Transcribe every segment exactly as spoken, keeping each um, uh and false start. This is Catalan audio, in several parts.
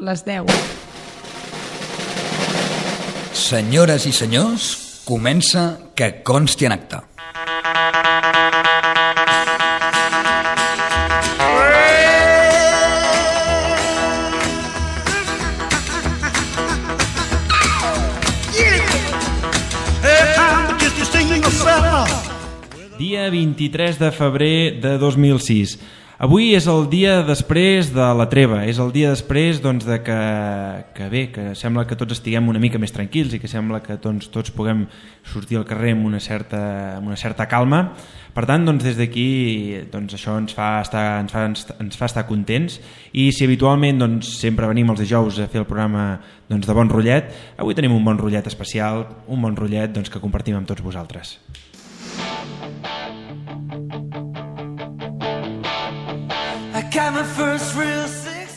les deu. Senyores i senyors, comença Que consti en acta. Dia vint-i-tres de febrer de dos mil sis. Avui és el dia després de la treva, és el dia després doncs, de que, que bé, que sembla que tots estiguem una mica més tranquils i que sembla que tots, tots puguem sortir al carrer amb una certa, amb una certa calma. Per tant, doncs, des d'aquí doncs, això ens fa, estar, ens, fa, ens fa estar contents, i si habitualment doncs, sempre venim els dijous a fer el programa doncs, de Bon Rotllet, avui tenim un bon rotllet especial, un bon rotllet doncs, que compartim amb tots vosaltres.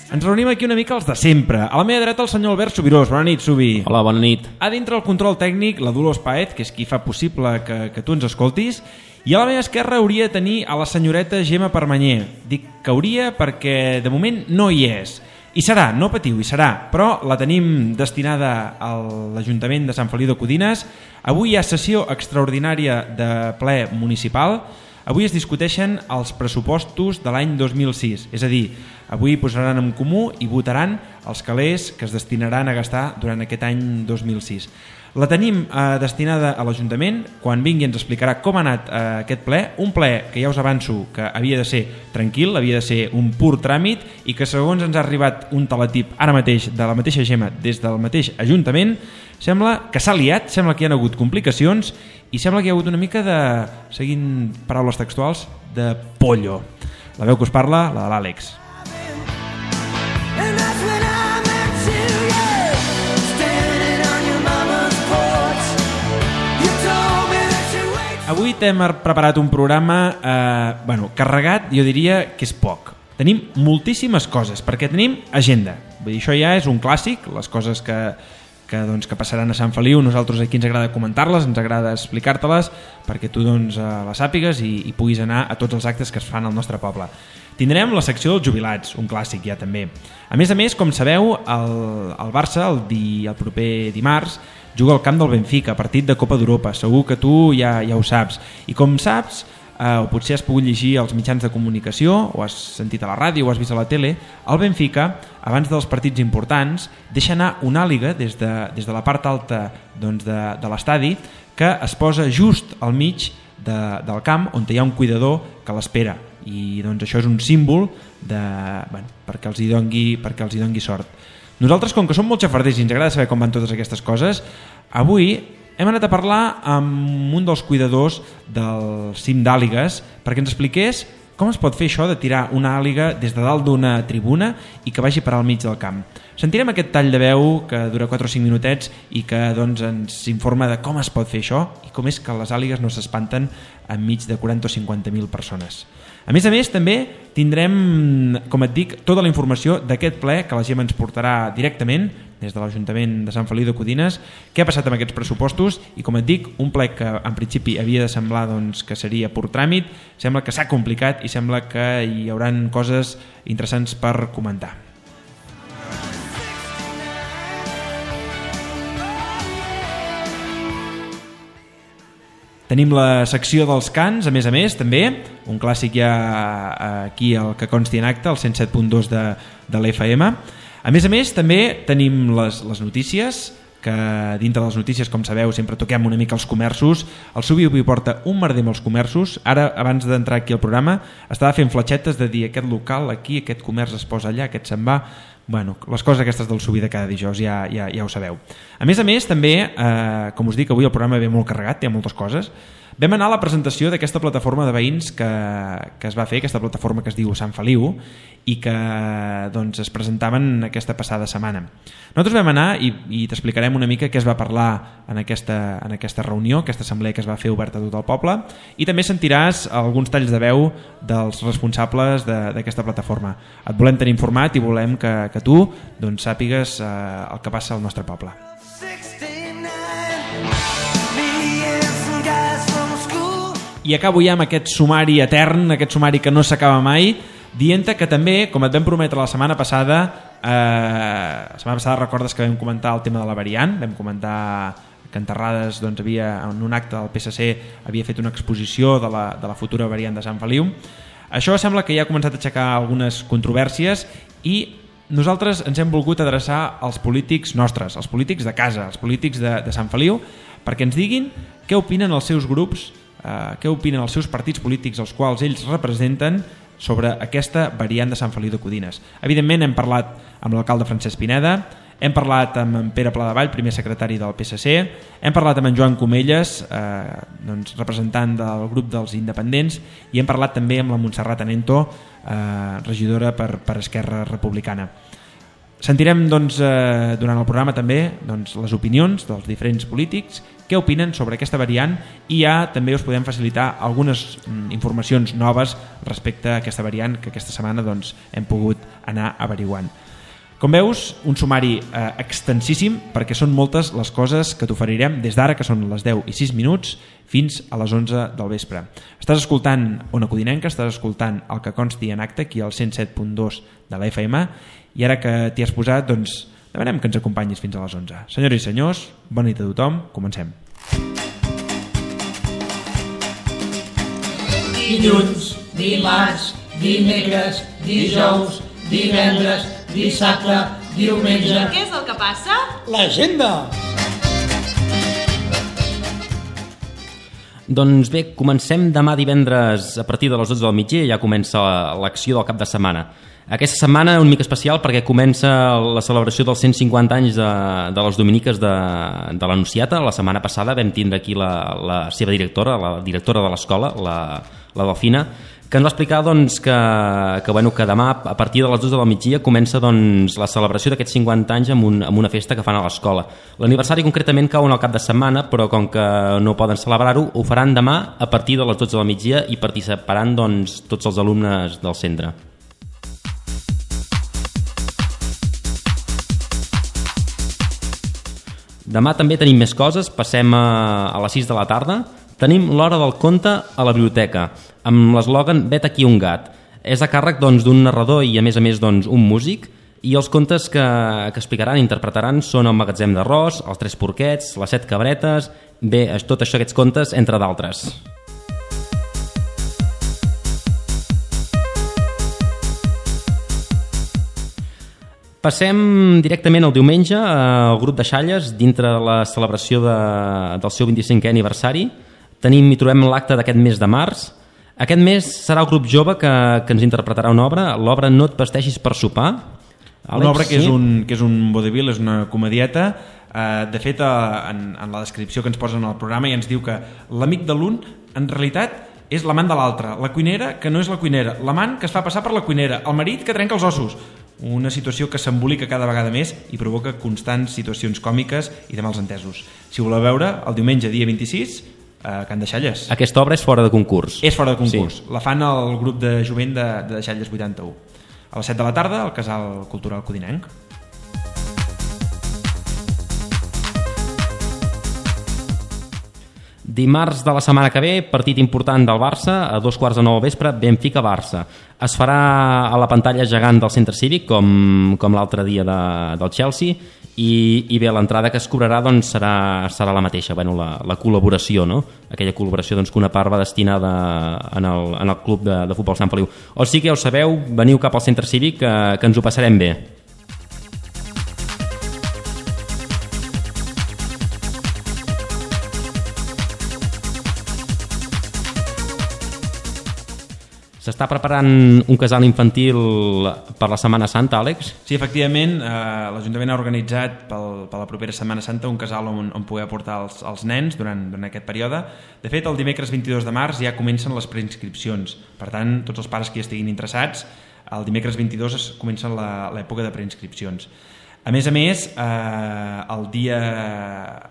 Ens reunim aquí una mica els de sempre. A la meva dreta el senyor Albert Subirós. Bona nit, Subi. Hola, bona nit. A dintre el control tècnic la Dolors Paez, que és qui fa possible que, que tu ens escoltis. I a la meva esquerra hauria de tenir a la senyoreta Gemma Permanyer. Dic que hauria perquè de moment no hi és. I serà, no patiu, hi serà, però la tenim destinada a l'Ajuntament de Sant Feliu de Codines. Avui hi ha sessió extraordinària de ple municipal. Avui es discuteixen els pressupostos de l'any dos mil sis, és a dir, avui posaran en comú i votaran els calés que es destinaran a gastar durant aquest any dos mil sis. La tenim eh, destinada a l'Ajuntament. Quan vingui ens explicarà com ha anat eh, aquest ple, un ple que ja us avanço que havia de ser tranquil, havia de ser un pur tràmit, i que segons ens ha arribat un teletip ara mateix de la mateixa Gemma des del mateix Ajuntament, sembla que s'ha liat, sembla que hi ha hagut complicacions i sembla que hi ha hagut una mica de, seguint paraules textuals, de pollo. La veu que us parla, la de l'Àlex. Avui t'hem preparat un programa eh, bueno, carregat, jo diria que és poc. Tenim moltíssimes coses, perquè tenim agenda. Vull dir, això ja és un clàssic, les coses que, que, doncs, que passaran a Sant Feliu. Nosaltres aquí ens agrada comentar-les, ens agrada explicar-te-les, perquè tu doncs, les sàpigues i, i puguis anar a tots els actes que es fan al nostre poble. Tindrem la secció dels jubilats, un clàssic ja també. A més a més, com sabeu, el, el Barça el, di, el proper dimarts juga al camp del Benfica, partit de Copa d'Europa. Segur que tu ja, ja ho saps. I com saps, eh, o potser has pogut llegir als mitjans de comunicació, o has sentit a la ràdio, o has vist a la tele, el Benfica, abans dels partits importants, deixa anar una àliga des de, des de la part alta doncs, de, de l'estadi, que es posa just al mig de, del camp, on hi ha un cuidador que l'espera. I doncs, això és un símbol de, bueno, perquè els hi dongui, perquè els hi dongui sort. Nosaltres, com que som molt xafarders i ens agrada saber com van totes aquestes coses, avui hem anat a parlar amb un dels cuidadors del cim d'àligues perquè ens expliqués com es pot fer això de tirar una àliga des de dalt d'una tribuna i que vagi parar al mig del camp. Sentirem aquest tall de veu que dura quatre o cinc minutets i que doncs, ens informa de com es pot fer això i com és que les àligues no s'espanten enmig de quaranta o cinquanta mil persones. A més a més, també tindrem, com et dic, tota la informació d'aquest ple que la Gemma ens portarà directament des de l'Ajuntament de Sant Feliu de Codines, què ha passat amb aquests pressupostos, i com et dic, un ple que en principi havia de semblar doncs, que seria pur tràmit, sembla que s'ha complicat i sembla que hi hauran coses interessants per comentar. Tenim la secció dels cants, a més a més, també, un clàssic ja aquí al que consti en acte, el cent set punt dos de, de l'F M. A més a més, també tenim les, les notícies, que dintre de les notícies, com sabeu, sempre toquem una mica els comerços. El Subi avui porta un merder amb els comerços. Ara, abans d'entrar aquí al programa, estava fent fletxetes de dir aquest local aquí, aquest comerç es posa allà, aquest se'n va... Bueno, les coses aquestes del Subi de cada dijous ja, ja, ja ho sabeu. A més a més, també, eh, com us dic, avui el programa ve molt carregat, té moltes coses. Vam anar a la presentació d'aquesta plataforma de veïns que, que es va fer, aquesta plataforma que es diu Sant Feliu, i que doncs, es presentaven aquesta passada setmana. Nosaltres vam anar i, i t'explicarem una mica què es va parlar en aquesta, en aquesta reunió, aquesta assemblea que es va fer oberta a tot el poble, i també sentiràs alguns talls de veu dels responsables d'aquesta plataforma. Et volem tenir informat i volem que, que tu doncs, sàpigues eh, el que passa al nostre poble. I acabo ja amb aquest sumari etern, aquest sumari que no s'acaba mai, dient que també, com et vam prometre la setmana passada, Eh, la setmana passada recordes que vam comentar el tema de la variant, vam comentar que en Terrades doncs, havia, en un acte del P S C havia fet una exposició de la, de la futura variant de Sant Feliu. Això sembla que ja ha començat a aixecar algunes controvèrsies i nosaltres ens hem volgut adreçar als polítics nostres, als polítics de casa, als polítics de, de Sant Feliu, perquè ens diguin què opinen els seus grups, eh, què opinen els seus partits polítics als quals ells representen sobre aquesta variant de Sant Feliu de Codines. Evidentment hem parlat amb l'alcalde Francesc Pineda, hem parlat amb en Pere Pladevall, primer secretari del P S C, hem parlat amb en Joan Comelles, eh, doncs, representant del grup dels independents, i hem parlat també amb la Montserrat Anento, eh, regidora per, per Esquerra Republicana. Sentirem doncs, eh, durant el programa també doncs, les opinions dels diferents polítics, què opinen sobre aquesta variant, i ja també us podem facilitar algunes mm, informacions noves respecte a aquesta variant que aquesta setmana doncs, hem pogut anar averiguant. Com veus, un sumari eh, extensíssim, perquè són moltes les coses que t'oferirem des d'ara, que són les deu i sis minuts, fins a les onze del vespre. Estàs escoltant Ona Codinenca, estàs escoltant el que consti en acte aquí al cent set punt dos de la F M, i ara que t'hi has posat, doncs demanem que ens acompanyis fins a les onze. Senyores i senyors, bona nit a tothom, comencem. Dilluns, dimarts, dimecres, dijous, divendres, dissabte, diumenge... Què és el que passa? L'agenda! Doncs bé, comencem demà divendres a partir de les dotze del migdia, ja comença l'acció del cap de setmana. Aquesta setmana una mica especial perquè comença la celebració dels cent cinquanta anys de, de les Dominiques de, de l'Anunciata. La setmana passada vam tindre aquí la, la seva directora, la directora de l'escola, la, la Delfina, que ens va explicar doncs, que, que, bueno, que demà a partir de les dotze del migdia comença doncs, la celebració d'aquests cinquanta anys amb, un, amb una festa que fan a l'escola. L'aniversari concretament cau en el cap de setmana, però com que no poden celebrar-ho, ho faran demà a partir de les dotze del migdia i participaran doncs, tots els alumnes del centre. Demà també tenim més coses, passem a, a les sis de la tarda. Tenim l'hora del conte a la biblioteca, amb l'eslògan "Vet aquí un gat". És a càrrec doncs, d'un narrador i a més a més doncs, un músic, i els contes que, que explicaran i interpretaran són El magatzem d'arròs, Els tres porquets, Les set cabretes, bé, tot això, aquests contes, entre d'altres. Passem directament al diumenge al grup de Xalles, dintre de la celebració de, del seu vint-i-cinquè aniversari. Tenim i trobem l'acte d'aquest mes de març. Aquest mes serà el grup jove que, que ens interpretarà una obra, l'obra No et vesteixis per sopar. Àlex, una obra que, sí? és un, que és un vodevil, és una comedieta. Eh, de fet, eh, en, en la descripció que ens posen al programa ja ens diu que l'amic de l'un en realitat és l'amant de l'altre, la cuinera que no és la cuinera, l'amant que es fa passar per la cuinera, el marit que trenca els ossos. Una situació que s'embolica cada vegada més i provoca constants situacions còmiques i de mals entesos. Si voleu veure, el diumenge dia vint-i-sis, a Can de Xalles. Aquesta obra és fora de concurs. És fora de concurs. Sí. La fan el grup de jovent de, de Xalles vuitanta-u. A les set de la tarda, al Casal Cultural Codinenc. Dimarts de la setmana que ve, partit important del Barça, a dos quarts de nou al vespre, Benfica-Barça. Es farà a la pantalla gegant del centre cívic, com, com l'altre dia de, del Chelsea, i, i bé, l'entrada que es cobrarà doncs, serà, serà la mateixa, bueno, la, la col·laboració, no? Aquella col·laboració doncs, que una part va destinada en el, en el club de, de futbol Sant Feliu. O sigui que ja ho sabeu, veniu cap al centre cívic, que, que ens ho passarem bé. S'està preparant un casal infantil per la Setmana Santa, Àlex? Sí, efectivament, eh, l'Ajuntament ha organitzat pel, per la propera Setmana Santa un casal on, on poder portar els, els nens durant, durant aquest període. De fet, el dimecres vint-i-dos de març ja comencen les preinscripcions. Per tant, tots els pares que hi estiguin interessats, el dimecres vint-i-dos es comença l'època de preinscripcions. A més a més, eh, el, dia,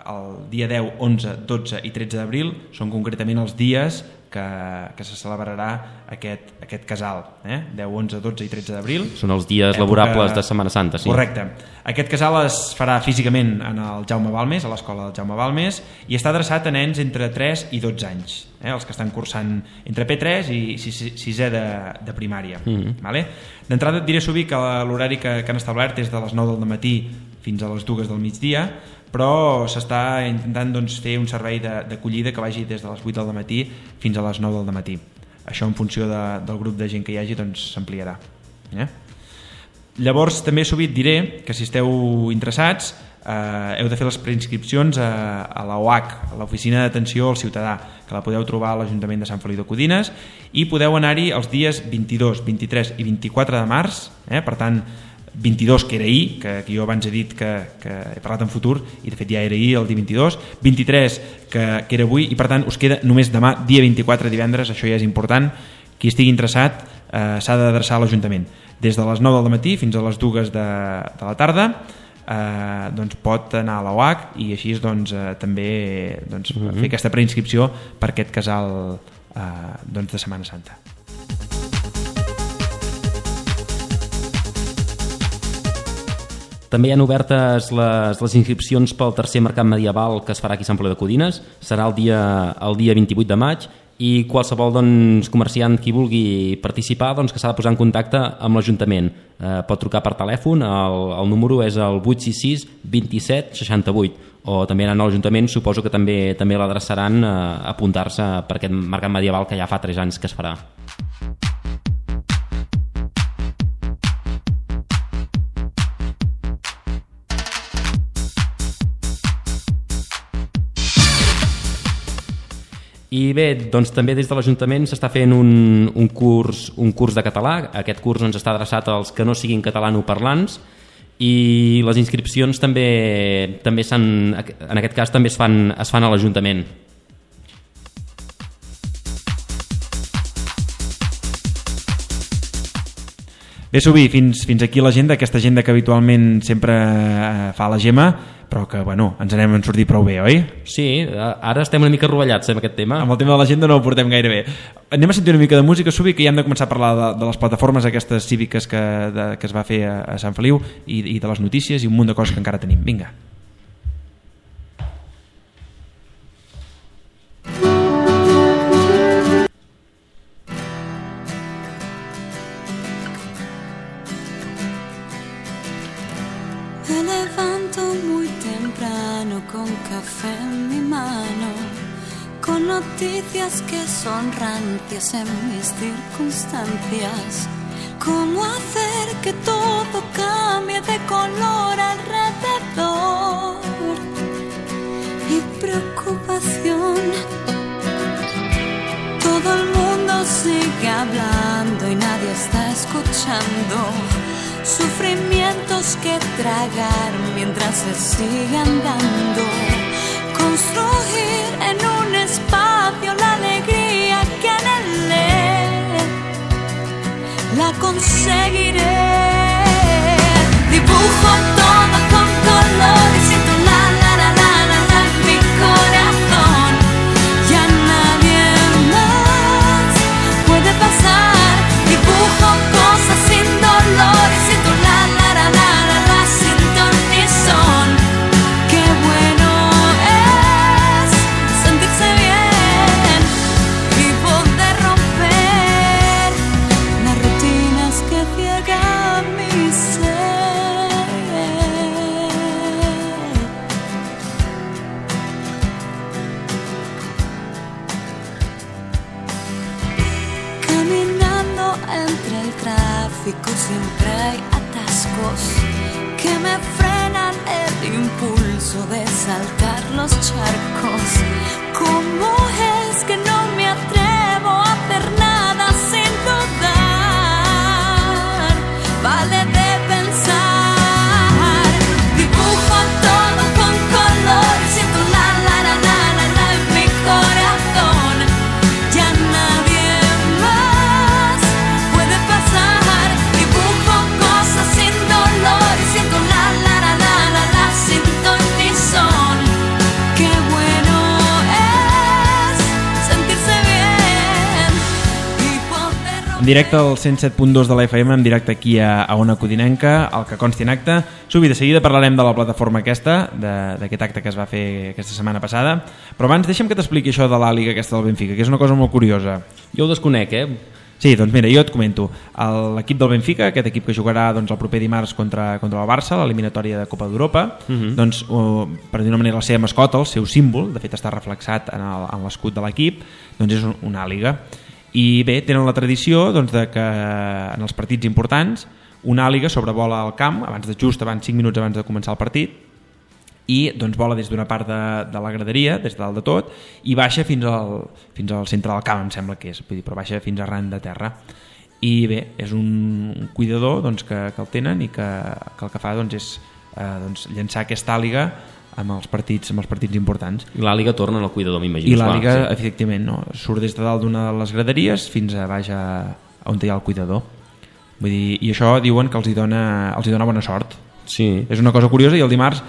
el dia deu, onze, dotze i tretze d'abril són concretament els dies que que, que se celebrarà aquest, aquest casal, eh? deu, onze, dotze i tretze d'abril. Són els dies època... laborables de Setmana Santa, sí. Correcte. Aquest casal es farà físicament en el Jaume Balmes, a l'escola del Jaume Balmes, i està adreçat a nens entre tres i dotze anys, eh? els que estan cursant entre P tres i sisè de, de primària. Mm-hmm. Vale? D'entrada et diré, Subi, que l'horari que, que han establert és de les nou del matí fins a les dues del migdia, però s'està intentant doncs, fer un servei d'acollida que vagi des de les vuit del matí fins a les nou del matí. Això en funció de, del grup de gent que hi hagi doncs, s'ampliarà. Eh? Llavors també sovint diré que si esteu interessats eh, heu de fer les preinscripcions a, a la O H, a l'Oficina d'Atenció al Ciutadà, que la podeu trobar a l'Ajuntament de Sant Feliu de Codines, i podeu anar-hi els dies vint-i-dos, vint-i-tres i vint-i-quatre de març, eh? Per tant vint-i-dos, que era ahir, que, que jo abans he dit que, que he parlat en futur i de fet ja era ahir el dia vint-i-dos, vint-i-tres que, que era avui, i per tant us queda només demà, dia vint-i-quatre, divendres. Això ja és important. Qui estigui interessat eh, s'ha d'adreçar a l'Ajuntament des de les nou del matí fins a les dues de, de la tarda. Eh, doncs pot anar a la O H i així doncs, eh, també doncs, mm-hmm. fer aquesta preinscripció per aquest casal eh, doncs, de Setmana Santa. També hi ha obertes les, les inscripcions pel tercer mercat medieval que es farà aquí a Sant Feliu de Codines. Serà el dia, el dia vint-i-vuit de maig, i qualsevol doncs, comerciant qui vulgui participar doncs, que s'ha de posar en contacte amb l'Ajuntament. Eh, pot trucar per telèfon, el, el número és el vuit sis sis vint-i-set seixanta-vuit, o també anant a l'Ajuntament suposo que també també l'adreçaran a apuntar-se per aquest mercat medieval que ja fa tres anys que es farà. I bé, doncs també des de l'Ajuntament s'està fent un, un, curs, un curs de català. Aquest curs doncs, està adreçat als que no siguin catalanoparlants, i les inscripcions també, també s'han, en aquest cas també es fan, es fan a l'Ajuntament. Bé, Subi, fins, fins aquí l'agenda, aquesta agenda que habitualment sempre eh, fa la Gemma, però que, bueno, ens n'hem sortit prou bé, oi? Sí, ara estem una mica rovellats amb aquest tema. Amb el tema de l'agenda no ho portem gaire bé. Anem a sentir una mica de música, Subi, que ja hem de començar a parlar de, de les plataformes aquestes cíviques que, de, que es va fer a, a Sant Feliu, i, i de les notícies i un munt de coses que encara tenim. Vinga. Con café en mi mano, con noticias que son rancias en mis circunstancias. ¿Cómo hacer que todo cambie de color alrededor? Mi preocupación. Todo el mundo sigue hablando y nadie está escuchando. Sufrimientos que tragar mientras se sigue andando. Construir en un espacio la alegría que anhelé, la conseguiré. Dibujo todo con colores y tu la la la la la la en mi corazón. Ya nadie más puede pasar. Dibujo cosas sin dolores y tu la la la la la la sin ton ni son. Qué bueno es sentirse bien y poder romper las rutinas que ciegan mi ser. Caminando entre el tráfico siempre hay atascos que me frenan el impulso de saltar los charcos. ¿Cómo es que no me atrevo a hacer nada sin dudar? Vale de pensar. Dibujo todo con colores y tu la la la la la la en mi corazón. Ya nadie más puede pasar. Dibujo cosas sin dolores y tu la la la la la la sin ton ni son. Qué bueno es sentirse bien. En directe al cent set punt dos de la F M, en directe aquí a, a Ona Codinenca, al que consti en acte. Subi, de seguida parlarem de la plataforma aquesta, d'aquest acte que es va fer aquesta setmana passada, però abans deixa'm que t'expliqui això de la Liga aquesta del Benfica, que és una cosa molt curiosa. Jo ho desconec, eh? Sí, doncs mira, jo et comento. L'equip del Benfica, aquest equip que jugarà doncs, el proper dimarts contra, contra el Barça, l'eliminatòria de Copa d'Europa, uh -huh. doncs, uh, per dir una manera, la seva mascota, el seu símbol, de fet està reflexat en l'escut de l'equip, doncs és una àliga. I bé, tenen la tradició doncs, de que en els partits importants una àliga sobrevola el camp, abans de just abans cinc minuts abans de començar el partit, i doncs vola des d'una part de, de la graderia, des de dalt de tot, i baixa fins al, fins al centre del camp, em sembla que és, vull dir, però baixa fins arran de terra. I bé, és un, un cuidador doncs, que, que el tenen i que, que el que fa doncs, és eh, doncs, llançar aquesta àliga amb els partits, amb els partits importants. I l'àliga torna al cuidador, m'imagino. I l'àliga, sí. efectivament, no? Surt des de dalt d'una de les graderies fins a baix a, a on hi ha el cuidador. Vull dir, i això diuen que els hi dona, els hi dona bona sort. Sí. És una cosa curiosa, i el dimarts,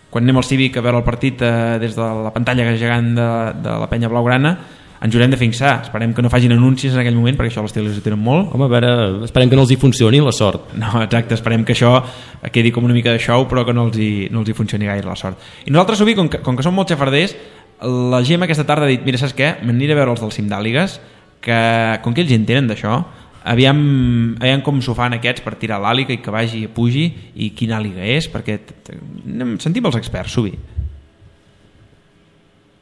quan anem al Cívic a veure el partit eh, des de la pantalla gegant de, de la penya blaugrana, ens haurem de fixar. Esperem que no facin anuncis en aquell moment, perquè això les teles ho tenen molt. Home, a veure, esperem que no els hi funcioni la sort. No, exacte, esperem que això quedi com una mica de show, però que no els hi, no els hi funcioni gaire la sort. I nosaltres, Subi, com que, com que som molt xafarders, la Gemma aquesta tarda ha dit, mira, saps què? M'aniré a veure els del cim d'àligues, que com que ells entenen d'això, aviam, aviam com s'ho fan aquests per tirar l'àliga i que vagi i pugi, i quina àliga és, perquè sentim els experts, Subi.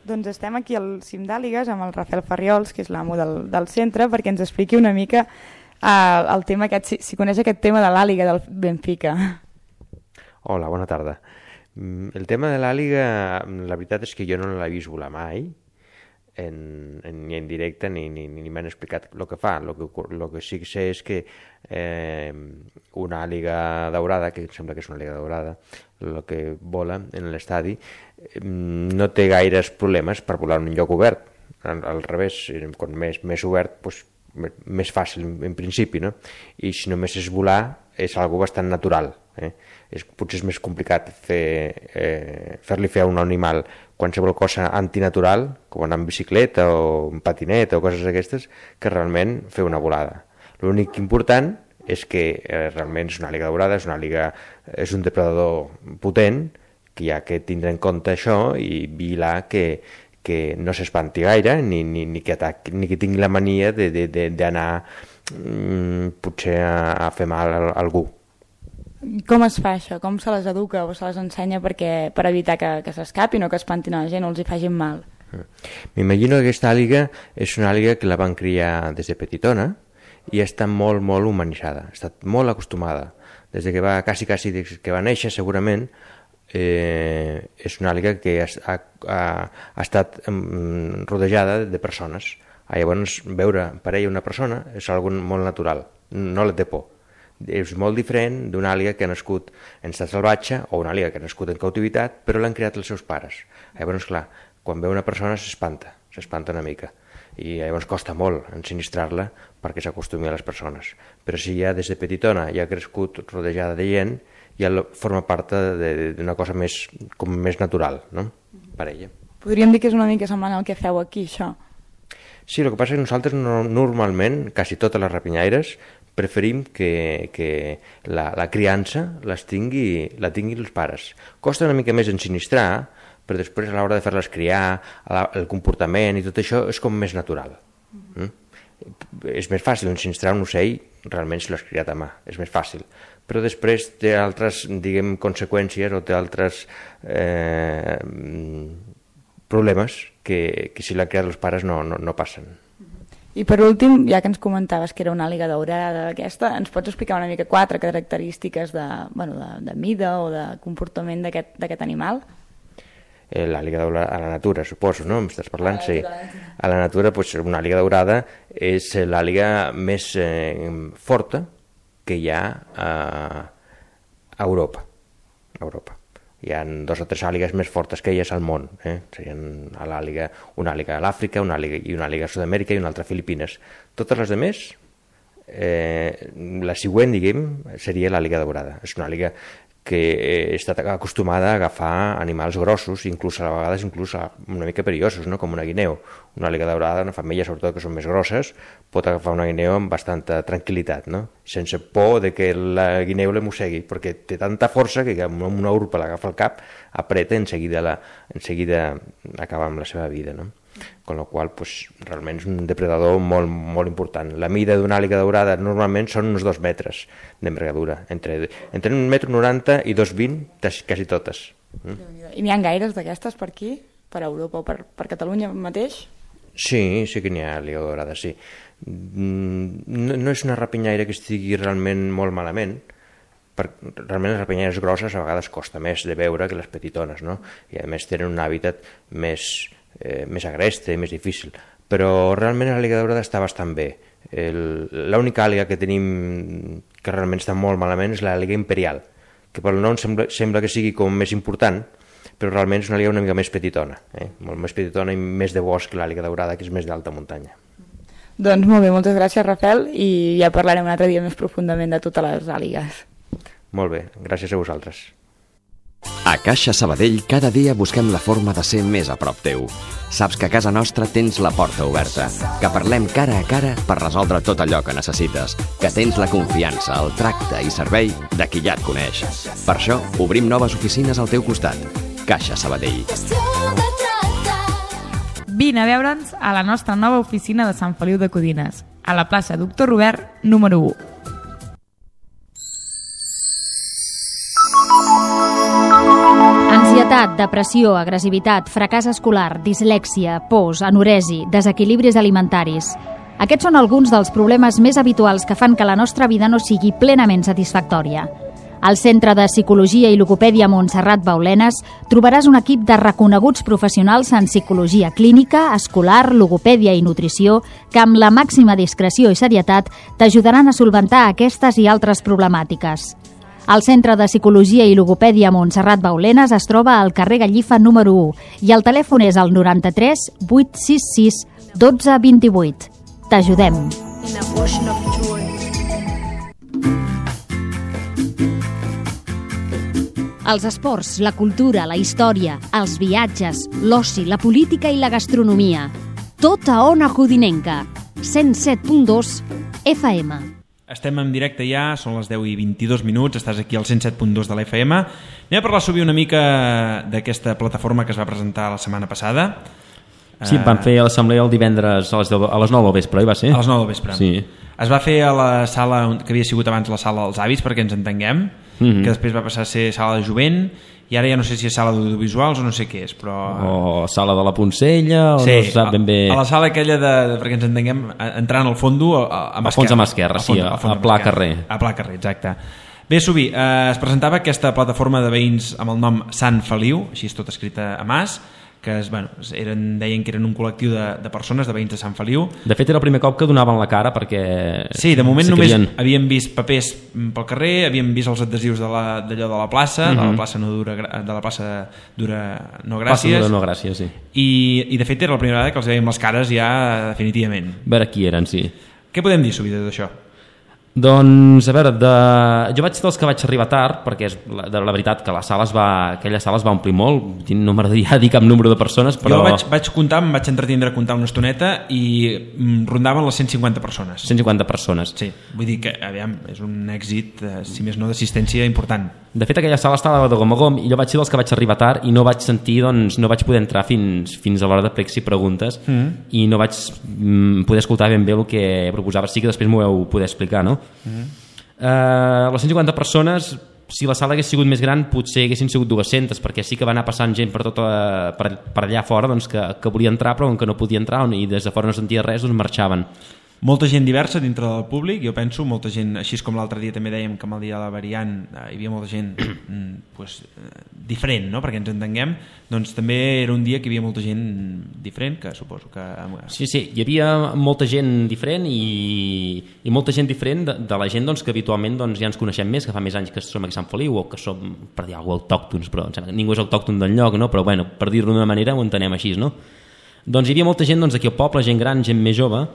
Doncs estem aquí al cim d'àligues amb el Rafael Farriols, que és l'amo del, del centre, perquè ens expliqui una mica uh, el tema aquest, si, si coneix aquest tema de l'àliga del Benfica. Hola, bona tarda. El tema de l'àliga, la veritat és que jo no l'he vist volar mai, en, en, ni en directe ni, ni, ni m'han explicat el que fa. El que, lo que sí que sé és que eh, una àliga daurada, que em sembla que és una àliga daurada, el que vola en l'estadi, no té gaires problemes per volar en un lloc obert. Al, al revés, quan més, més obert, doncs, més fàcil en principi, no? I si només és volar, és algo bastant natural. Eh? És, potser és més complicat fer, eh, fer-li fer a un animal qualsevol cosa antinatural, com anar en bicicleta o en patinet o coses d'aquestes, que realment fer una volada. L'únic important és que eh, realment és una àliga daurada, és una àliga, és un depredador potent, que hi ha que tindre en compte això i vigilar que, que no s'espanti gaire ni, ni, ni, que ataqui, ni que tingui la mania d'anar mm, potser a, a fer mal a, a algú. Com es fa això? Com se les educa o se les ensenya perquè, per evitar que, que s'escapin o que espantin a la gent o els hi facin mal? M'imagino que aquesta àliga és una àliga que la van criar des de petitona i està molt, molt humanitzada, ha estat molt acostumada. Des de que va, quasi, quasi, des que va néixer, segurament, eh, és una àliga que ha, ha, ha estat um, rodejada de persones. Ah, llavors, veure per ella una persona és algo molt natural, no la té por. És molt diferent d'una àliga que ha nascut en estat salvatge o una àliga que ha nascut en cautivitat, però l'han criat els seus pares. Llavors, clar, quan veu una persona s'espanta, s'espanta una mica. I llavors costa molt ensinistrar-la perquè s'acostumi a les persones. Però si ja des de petitona ja ha crescut rodejada de gent, ja forma part d'una cosa més, com més natural, no? Per ella. Podríem dir que és una mica semblant al que feu aquí, això. Sí, el que passa és que nosaltres no, normalment, quasi totes les rapinyaires, preferim que, que la, la criança les tingui, la tinguin els pares. Costa una mica més ensinistrar, però després a l'hora de fer-les criar, el comportament i tot això és com més natural. Mm? És més fàcil ensinistrar un ocell realment si l'has criat a mà, és més fàcil. Però després té altres, diguem, conseqüències o té altres eh, problemes que, que si l'han criat els pares no, no, no passen. I per últim, ja que ens comentaves que era una àliga daurada aquesta, ens pots explicar una mica quatre característiques de, bueno, de, de mida o de comportament d'aquest animal? Eh, l'àliga daurada a la natura, suposo, no? M'estàs parlant? Sí. A la natura, pues, una àliga daurada és l'àliga més eh, forta que hi ha a, a Europa. A Europa. Hi ha dos o tres àligues més fortes que elles al món. Eh? Serien a l'àliga, una àliga a l'Àfrica, una àliga, i una àliga a Sud-amèrica i una altra a Filipines. Totes les altres, eh, la següent, diguem, seria l'àliga daurada. És una àliga que està acostumada a agafar animals grossos, inclús a vegades inclús una mica perillosos, no? Com una guineu. Una àliga daurada, una femella sobretot que són més grosses, pot agafar una guineu amb bastanta tranquil·litat, no? Sense por de que la guineu la mossegui, perquè té tanta força que amb una urpa l'agafa al cap, apreta i en seguida, la, en seguida acaba amb la seva vida, no? Con la qual pues, realment és un depredador molt, molt important. La mida d'una àliga daurada normalment són uns dos metres d'envergadura, entre, entre un metro noranta i dos vint, quasi totes. Mm? I n'hi ha gaires d'aquestes per aquí? Per Europa o per, per Catalunya mateix? Sí, sí que n'hi ha àliga daurada, sí. No, no és una rapinyaire que estigui realment molt malament, perquè realment les rapinyaires grosses a vegades costa més de veure que les petitones, no? I a més tenen un hàbitat més... Eh, més agreste, més difícil, però realment l'àliga daurada està bastant bé. L'única àliga que tenim que realment està molt malament és l'àliga imperial, que pel nom sembla, sembla que sigui com més important, però realment és una àliga una mica més petitona, eh? Molt més petitona i més de bosc que l'àliga daurada, que és més d'alta muntanya. Doncs molt bé, moltes gràcies, Rafael, i ja parlarem un altre dia més profundament de totes les àligues. Molt bé, gràcies a vosaltres. A Caixa Sabadell cada dia busquem la forma de ser més a prop teu. Saps que a casa nostra tens la porta oberta, que parlem cara a cara per resoldre tot allò que necessites, que tens la confiança, el tracte i servei de qui ja et coneix. Per això obrim noves oficines al teu costat. Caixa Sabadell. Vine a veure'ns a la nostra nova oficina de Sant Feliu de Codines, a la plaça Doctor Robert, número u. Ansietat, depressió, agressivitat, fracàs escolar, dislèxia, pors, anoresi, desequilibris alimentaris. Aquests són alguns dels problemes més habituals que fan que la nostra vida no sigui plenament satisfactòria. Al Centre de Psicologia i Logopèdia Montserrat Baulenes trobaràs un equip de reconeguts professionals en psicologia clínica, escolar, logopèdia i nutrició que amb la màxima discreció i serietat t'ajudaran a solventar aquestes i altres problemàtiques. El Centre de Psicologia i Logopèdia Montserrat Baulenes es troba al carrer Gallifa número u i el telèfon és el noranta-tres vuit sis sis dotze vint-i-vuit. T'ajudem. Els esports, la cultura, la història, els viatges, l'oci, la política i la gastronomia. Tot a Ona Codinenca. cent set punt dos F M. Estem en directe ja, són les deu i vint-i-dos minuts, estàs aquí al cent set punt dos de la F M. Anem a parlar sovint una mica d'aquesta plataforma que es va presentar la setmana passada. Sí, uh... van fer l'assemblea el divendres a les, deu, a les nou del vespre, oi va ser? A les nou del vespre. Sí. Es va fer a la sala que havia sigut abans la sala dels avis, perquè ens entenguem, mm-hmm. que després va passar a ser sala de jovent, i ara ja no sé si és sala d'audiovisuals o no sé què és, però... O sala de la Poncella, o sí, no se sap ben bé... a la sala aquella, de, de, perquè ens entenguem, entrant al fondo a, a mà esquerra. A fons a mà esquerra, sí, a, a pla carrer. A pla carrer, exacte. Bé, Subi, eh, es presentava aquesta plataforma de veïns amb el nom Sant Feliu, així és tot escrita a mas, que es, bueno, eren, deien que eren un col·lectiu de, de persones, de veïns de Sant Feliu. De fet, era el primer cop que donaven la cara, perquè... Sí, de moment sí només havien... havíem vist papers pel carrer, havíem vist els adhesius d'allò de, de la plaça, mm-hmm. de la plaça no dura, de la plaça dura no gràcies. Plaça dura no gràcies, sí. I, I de fet era la primera vegada que els veiem les cares ja definitivament. A veure qui eren, sí. Què podem dir, Subi, d'això? Doncs, a veure, de... jo vaig ser dels que vaig arribar tard, perquè és la, de la veritat que la sala es va, aquella sala es va omplir molt, no m'agradaria dir cap número de persones, però... Jo vaig, vaig comptar, em vaig entretindre a comptar una estoneta i rondaven les cent cinquanta persones. cent cinquanta persones. Sí, vull dir que, aviam, és un èxit, si més no, d'assistència important. De fet, aquella sala estava de gom a gom i jo vaig ser dels que vaig arribar tard i no vaig sentir, doncs, no vaig poder entrar fins, fins a l'hora de plecs i preguntes mm. i no vaig mm, poder escoltar ben bé el que proposava. Sí que després m'ho heu poder explicar, no? Mm. Uh, les cent cinquanta persones, si la sala hagués sigut més gran potser haguessin sigut dues-centes, perquè sí que va anar passant gent per, tota, per, per allà fora, doncs, que, que volia entrar però que no podia entrar i des de fora no sentia res, doncs marxaven. Molta gent diversa dintre del públic, jo penso, molta gent, així com l'altre dia també dèiem que amb el dia de la variant hi havia molta gent pues, diferent, no? Perquè ens entenguem, doncs també era un dia que hi havia molta gent diferent, que suposo que... Sí, sí, hi havia molta gent diferent i, i molta gent diferent de, de la gent doncs, que habitualment doncs, ja ens coneixem més, que fa més anys que som aquí a Sant Feliu o que som, per dir alguna cosa, autòctons, però em sembla que ningú és autòcton del lloc, no? Però bueno, per dir-ho d'una manera ho entenem així, no? Doncs hi havia molta gent doncs, aquí al poble, gent gran, gent més jove,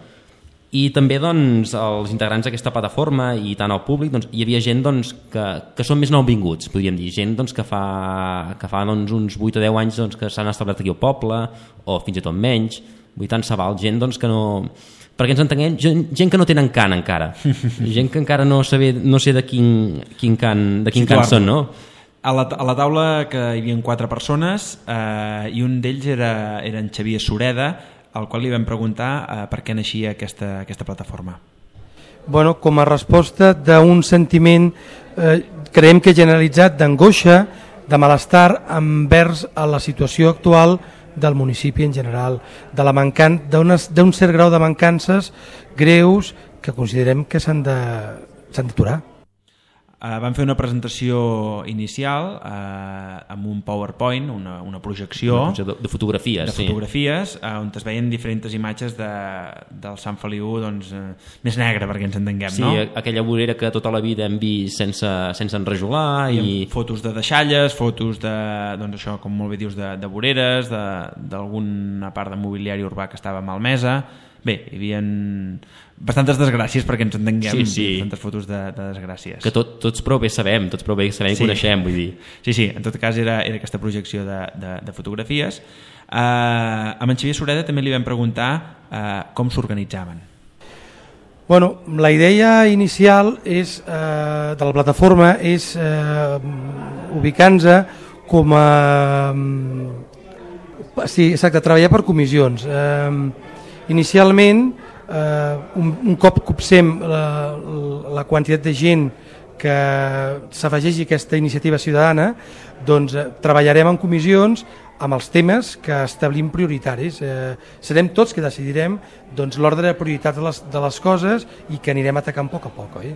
I també doncs, els integrants d'aquesta plataforma i tant el públic, doncs, hi havia gent doncs, que, que són més nouvinguts, podríem dir, gent doncs, que fa, que fa doncs, uns vuit o deu anys doncs, que s'han establert aquí al poble, o fins i tot menys, vull tant se val, gent doncs, que no... Perquè ens entenguem, gent, gent que no tenen cant encara, gent que encara no, saber, no sé de quin, quin cant, de quin cant són, no? A la, a la taula que hi havia quatre persones eh, i un d'ells era, era en Xavier Sureda, al qual li vam preguntar eh, per què naixia aquesta, aquesta plataforma. Bueno, com a resposta d'un sentiment, eh, creiem que generalitzat d'angoixa, de malestar envers a la situació actual del municipi en general, de la mancan d'un cert grau de mancances greus que considerem que s'han de, s'han d'aturar. Uh, vam fer una presentació inicial uh, amb un PowerPoint, una, una projecció una projecció de, de fotografies, de sí. fotografies uh, on es veien diferents imatges de, del Sant Feliu doncs, uh, més negre, perquè ens entenguem, sí, no? Aquella vorera que tota la vida hem vist sense, sense enrajolar i... I fotos de deixalles, fotos de, doncs això, com molt bé dius, de, de voreres, d'alguna part de mobiliari urbà que estava malmesa. Bé, hi havia bastantes desgràcies perquè ens entenguem, sí, sí. bastantes fotos de, de desgràcies. Que tot, tots prou bé sabem, tots prou bé sabem i sí. coneixem, vull dir. Sí, sí, en tot cas era, era aquesta projecció de, de, de fotografies. Uh, amb en Xavier Sureda també li vam preguntar uh, com s'organitzaven. Bueno, la idea inicial és, eh, de la plataforma és eh, ubicar-nos com a... Sí, exacte, treballar per comissions. Eh, Inicialment, eh, un, un cop copsem la, la quantitat de gent que s'afegeixi a aquesta iniciativa ciutadana, doncs eh, treballarem en comissions amb els temes que establim prioritaris. Eh, serem tots que decidirem doncs, l'ordre de prioritat de les, de les coses i que anirem atacant a poc a poc. Oi?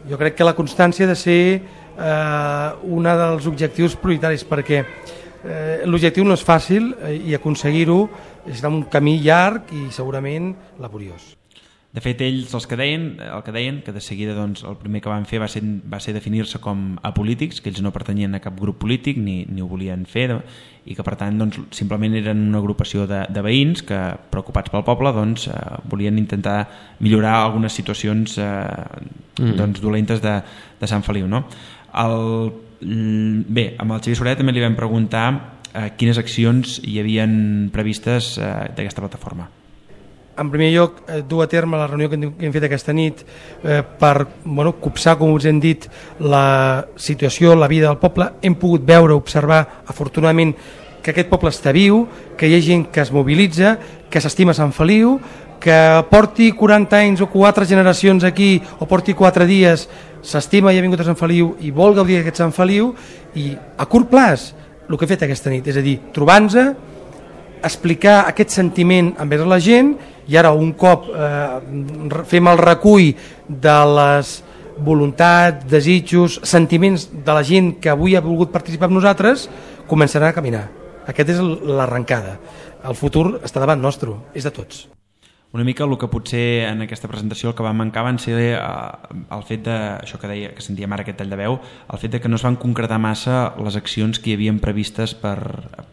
Jo crec que la constància ha de ser eh, un dels objectius prioritaris, perquè eh, l'objectiu no és fàcil eh, i aconseguir-ho és un camí llarg i segurament laboriós. De fet, ells els que deien, el que deien que de seguida doncs, el primer que van fer va ser, va ser definir-se com apolítics, que ells no pertanyien a cap grup polític ni, ni ho volien fer, i que per tant doncs, simplement eren una agrupació de, de veïns que, preocupats pel poble, doncs, eh, volien intentar millorar algunes situacions eh, mm. doncs, dolentes de, de Sant Feliu. No? El, bé, amb el Xavier Sureda també li vam preguntar eh, quines accions hi havien previstes eh, d'aquesta plataforma. En primer lloc, eh, dur a terme la reunió que hem fet aquesta nit eh, per bueno, copsar, com us hem dit, la situació, la vida del poble. Hem pogut veure, observar, afortunadament, que aquest poble està viu, que hi ha gent que es mobilitza, que s'estima Sant Feliu, que porti quaranta anys o quatre generacions aquí o porti quatre dies, s'estima i ha vingut a Sant Feliu i vol gaudir d'aquest Sant Feliu, i a curt plaç el que he fet aquesta nit, és a dir, trobar-nos, explicar aquest sentiment envers la gent, i ara un cop eh, fem el recull de les voluntats, desitjos, sentiments de la gent que avui ha volgut participar amb nosaltres, començaran a caminar. Aquesta és l'arrencada. El futur està davant nostre, és de tots. Una mica el que potser en aquesta presentació el que va mancar van ser eh, el fet de, això que deia, que sentíem ara aquest tall de veu, el fet de que no es van concretar massa les accions que hi havien previstes per,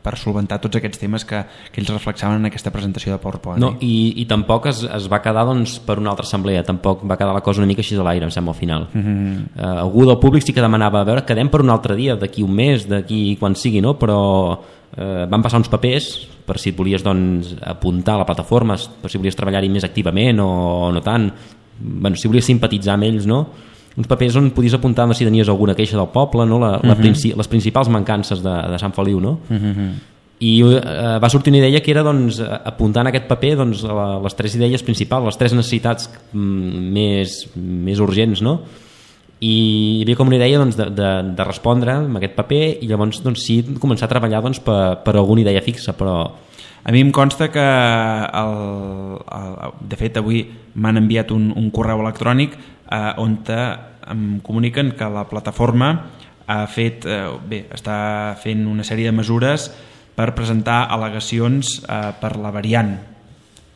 per solventar tots aquests temes que, que ells reflexaven en aquesta presentació de PowerPoint. No, i, i tampoc es, es va quedar doncs, per una altra assemblea, tampoc va quedar la cosa una mica així a l'aire, em sembla, al final. Mm-hmm. uh, algú del públic sí que demanava, a veure, quedem per un altre dia, d'aquí un mes, d'aquí quan sigui, no? Però uh, van passar uns papers per si et volies doncs, apuntar a la plataforma, per si volies treballar-hi més activament o no tant, bueno, si volies simpatitzar amb ells, no? Uns papers on podies apuntar si tenies alguna queixa del poble, no? la, la uh-huh. princi les principals mancances de, de Sant Feliu, no? Uh-huh. I eh, va sortir una idea que era doncs, apuntar en aquest paper doncs, les tres idees principals, les tres necessitats mm, més, més urgents, no? I hi havia com una idea doncs, de, de, de respondre amb aquest paper i llavors doncs, sí, començar a treballar doncs, per, per alguna idea fixa, però... A mi em consta que el, el, de fet avui m'han enviat un, un correu electrònic eh, on te, em comuniquen que la plataforma ha fet, eh, bé, està fent una sèrie de mesures per presentar al·legacions eh, per la variant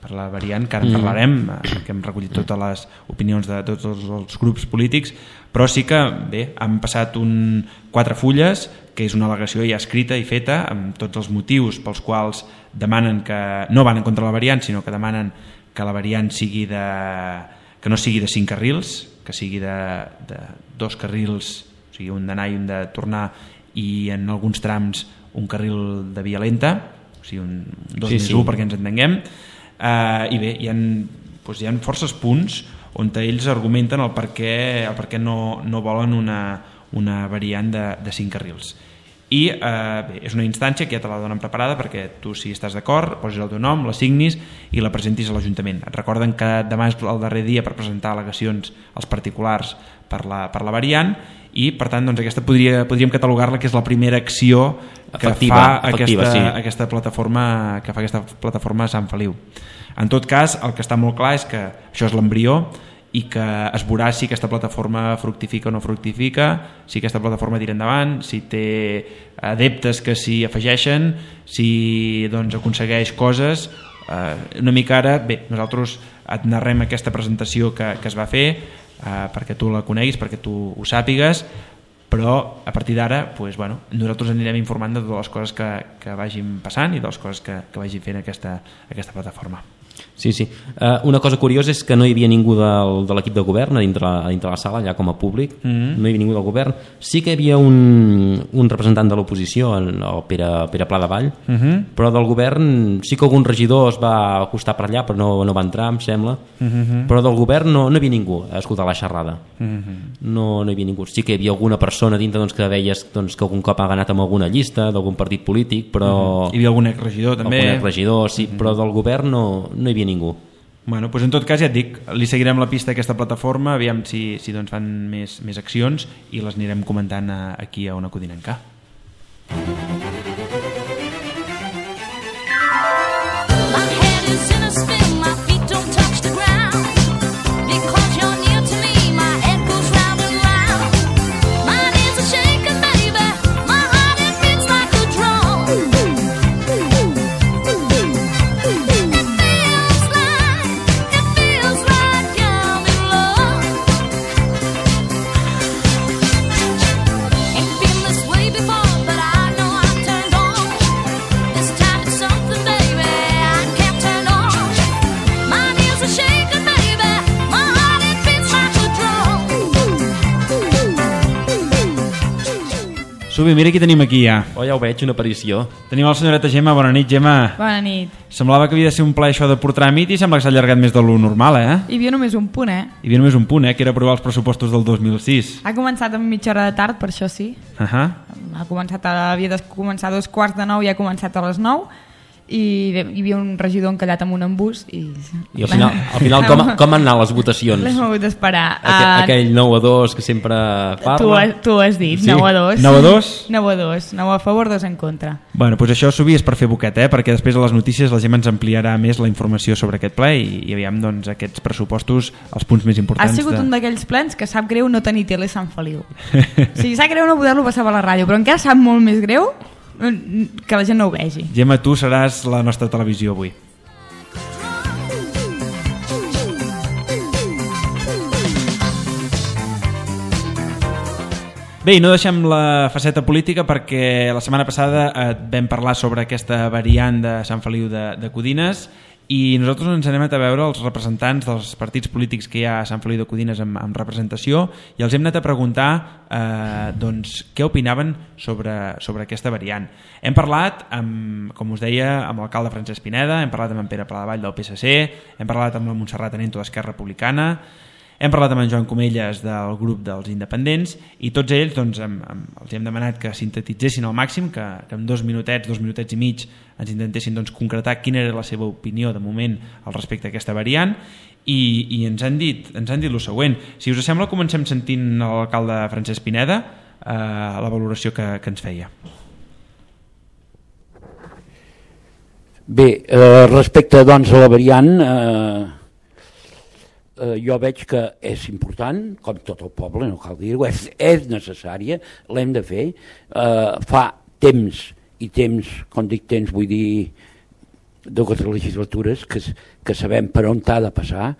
per la variant, que ara en parlarem, mm. que hem recollit totes les opinions de tots els, els grups polítics, però sí que bé, han passat un, quatre fulles, que és una al·legació ja escrita i feta, amb tots els motius pels quals demanen que no van en contra de la variant, sinó que demanen que la variant sigui de, que no sigui de cinc carrils, que sigui de, de dos carrils, o sigui, un d'anar i un de tornar, i en alguns trams un carril de via lenta, o sigui, un dos sí, més sí. un perquè ens entenguem. Uh, I bé, hi ha, doncs hi ha forces punts on ells argumenten el per què, el per què no, no volen una, una variant de, de cinc carrils. I eh, bé, és una instància que ja te la donen preparada perquè tu, si estàs d'acord, posis el teu nom, la signis i la presentis a l'Ajuntament. Et recorden que demà és el darrer dia per presentar al·legacions als particulars per la, per la variant, i per tant doncs, aquesta podria, podríem catalogar-la que és la primera acció que efectiva, fa efectiva, aquesta, sí. aquesta plataforma que fa aquesta plataforma a Sant Feliu. En tot cas, el que està molt clar és que això és l'embrió i que es veurà si aquesta plataforma fructifica o no fructifica, si aquesta plataforma tira endavant, si té adeptes que s'hi afegeixen, si doncs, aconsegueix coses. Eh, una mica ara, bé, nosaltres et narrem aquesta presentació que, que es va fer eh, perquè tu la coneguis, perquè tu ho sàpigues, però a partir d'ara pues, bueno, nosaltres anirem informant de totes les coses que, que vagin passant i de les coses que, que vagi fent aquesta, aquesta plataforma. Sí, sí. Uh, una cosa curiosa és que no hi havia ningú del, de l'equip de govern a dintre, a dintre la sala, allà com a públic. Mm-hmm. No hi havia ningú del govern. Sí que hi havia un, un representant de l'oposició, el Pere, Pere Pla de Vall, mm-hmm. però del govern sí que algun regidor es va acostar per allà, però no, no va entrar, em sembla. Mm-hmm. Però del govern no, no hi havia ningú a escoltar la xerrada. Mm-hmm. No, no hi havia ningú. Sí que hi havia alguna persona dintre doncs, que veies doncs, que algun cop ha anat amb alguna llista d'algun partit polític, però... Mm-hmm. Hi havia algun exregidor també. Algun exregidor, sí, mm-hmm. però del govern no, no hi havia ningú. Bueno, doncs en tot cas ja et dic, li seguirem la pista a aquesta plataforma, aviam si, si doncs fan més, més accions i les anirem comentant a, aquí a Ona Codinenca. Subi, mira qui tenim aquí ja. Oh, ja ho veig, una aparició. Tenim la senyoreta Gemma. Bona nit, Gemma. Bona nit. Semblava que havia de ser un ple això de por tràmit i sembla que s'ha allargat més de lo normal, eh? Hi havia només un punt, eh? Hi havia només un punt, eh? Que era aprovar els pressupostos del dos mil sis. Ha començat amb mitja hora de tard, per això sí. Uh -huh. Ha començat a, havia de començar a dos quarts de nou i ha començat a les nou. I hi havia un regidor encallat amb un embús i, I al final, al final com, com han anat les votacions? L'hem hagut d'esperar. Aquell, uh, aquell nou a dos que sempre parla. Tu, tu has dit, sí? nou a dos. nou a dos? nou a dos, nou a favor, dos en contra. Bueno, doncs això, Subi, és per fer boquet, eh? Perquè després a les notícies la gent ens ampliarà més la informació sobre aquest ple i, i aviam doncs, aquests pressupostos, els punts més importants. Ha sigut de... un d'aquells plens que sap greu no tenir tele a Sant Feliu. O sigui, sap greu no poder-lo passar per la ràdio, però encara sap molt més greu que la gent no ho vegi. Gemma, tu seràs la nostra televisió avui. Bé, i no deixem la faceta política perquè la setmana passada eh, vam parlar sobre aquesta variant de Sant Feliu de, de Codines i nosaltres ens anem a veure els representants dels partits polítics que hi ha a Sant Feliu de Codines amb, amb representació i els hem anat a preguntar eh, doncs, què opinaven sobre, sobre aquesta variant. Hem parlat, amb, com us deia, amb l'alcalde Francesc Pineda, hem parlat amb en Pere Pladevall del P S C, hem parlat amb la Montserrat Anento d'Esquerra Republicana, hem parlat amb en Joan Comelles del grup dels independents i tots ells doncs, hem, hem, els hem demanat que sintetitzessin al màxim, que, que en dos minutets, dos minutets i mig ens intentessin doncs, concretar quina era la seva opinió de moment al respecte a aquesta variant i, i ens han dit ens han dit el següent. Si us sembla, comencem sentint l'alcalde Francesc Pineda eh, la valoració que, que ens feia. Bé, eh, respecte doncs, a la variant... Eh... Uh, jo veig que és important, com tot el poble, no cal dir-ho, és, és necessària, l'hem de fer. Uh, fa temps, i temps, quan dic temps, vull dir dues legislatures, que, que sabem per on t'ha de passar,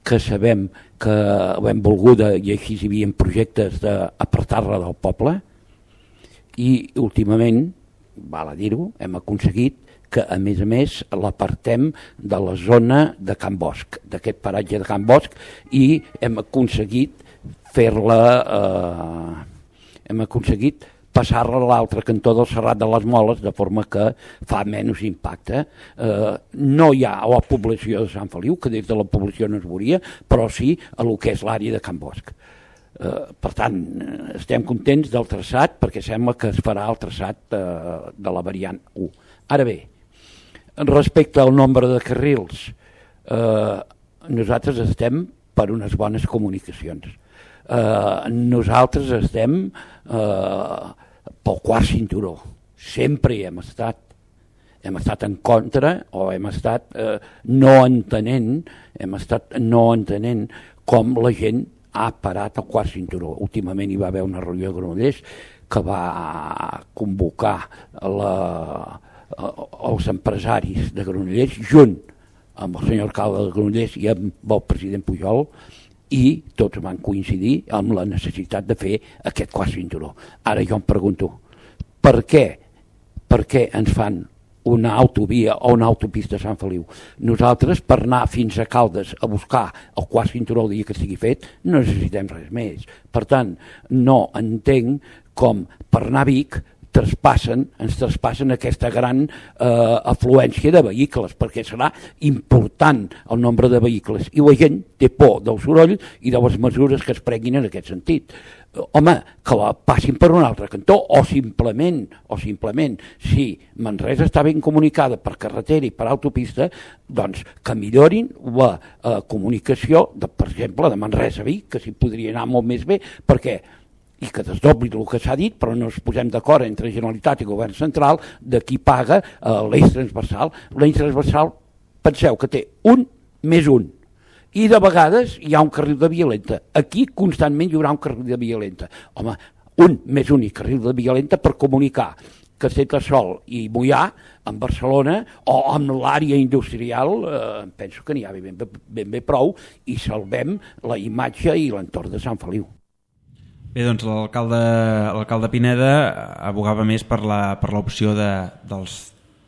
que sabem que ho hem volgut i així hi havia projectes d'apartar-la del poble, i últimament, val a dir-ho, hem aconseguit que a més a més l'apartem de la zona de Can Bosch, d'aquest paratge de Can Bosch, i hem aconseguit fer-la, eh, hem aconseguit passar-la a l'altre cantó del Serrat de les Moles, de forma que fa menys impacte. Eh, no hi ha a la població de Sant Feliu, que des de la població no es veuria, però sí a lo que és l'àrea de Can Bosch. Eh, per tant, estem contents del traçat, perquè sembla que es farà el traçat eh, de la variant u. Ara bé, respecte al nombre de carrils, eh, nosaltres estem per unes bones comunicacions. Eh, nosaltres estem eh, pel quart cinturó. Sempre hi hem estat. Hem estat en contra o hem estat eh, no entenent, hem estat no entenent com la gent ha parat el quart cinturó. Últimament hi va haver una reunió de Granollers que va convocar la, els empresaris de Granollers junt amb el senyor alcalde de Granollers i amb el president Pujol, i tots van coincidir amb la necessitat de fer aquest quart cinturó. Ara jo em pregunto, per què, per què ens fan una autovia o una autopista a Sant Feliu? Nosaltres, per anar fins a Caldes a buscar el quart cinturó el dia que estigui fet, no necessitem res més. Per tant, no entenc com per anar a Vic traspassen, ens traspassen aquesta gran eh, afluència de vehicles, perquè serà important el nombre de vehicles i la gent té por del soroll i de les mesures que es prenguin en aquest sentit. Home, que la passin per un altre cantó o simplement, o simplement si Manresa està ben comunicada per carretera i per autopista, doncs que millorin la eh, comunicació, de, per exemple, de Manresa a Vic, que s'hi podria anar molt més bé, perquè i que desdobli el que s'ha dit, però no ens posem d'acord entre Generalitat i Govern Central de qui paga eh, l'eix transversal. L'eix transversal, penseu que té un més un, i de vegades hi ha un carril de via lenta. Aquí constantment hi haurà un carril de via lenta. Home, un més un i carril de via lenta per comunicar Castellterçol i Moià en Barcelona o amb l'àrea industrial, eh, penso que n'hi ha ben, ben, ben bé prou i salvem la imatge i l'entorn de Sant Feliu. Bé, doncs l'alcalde Pineda abogava més per l'opció de, dels,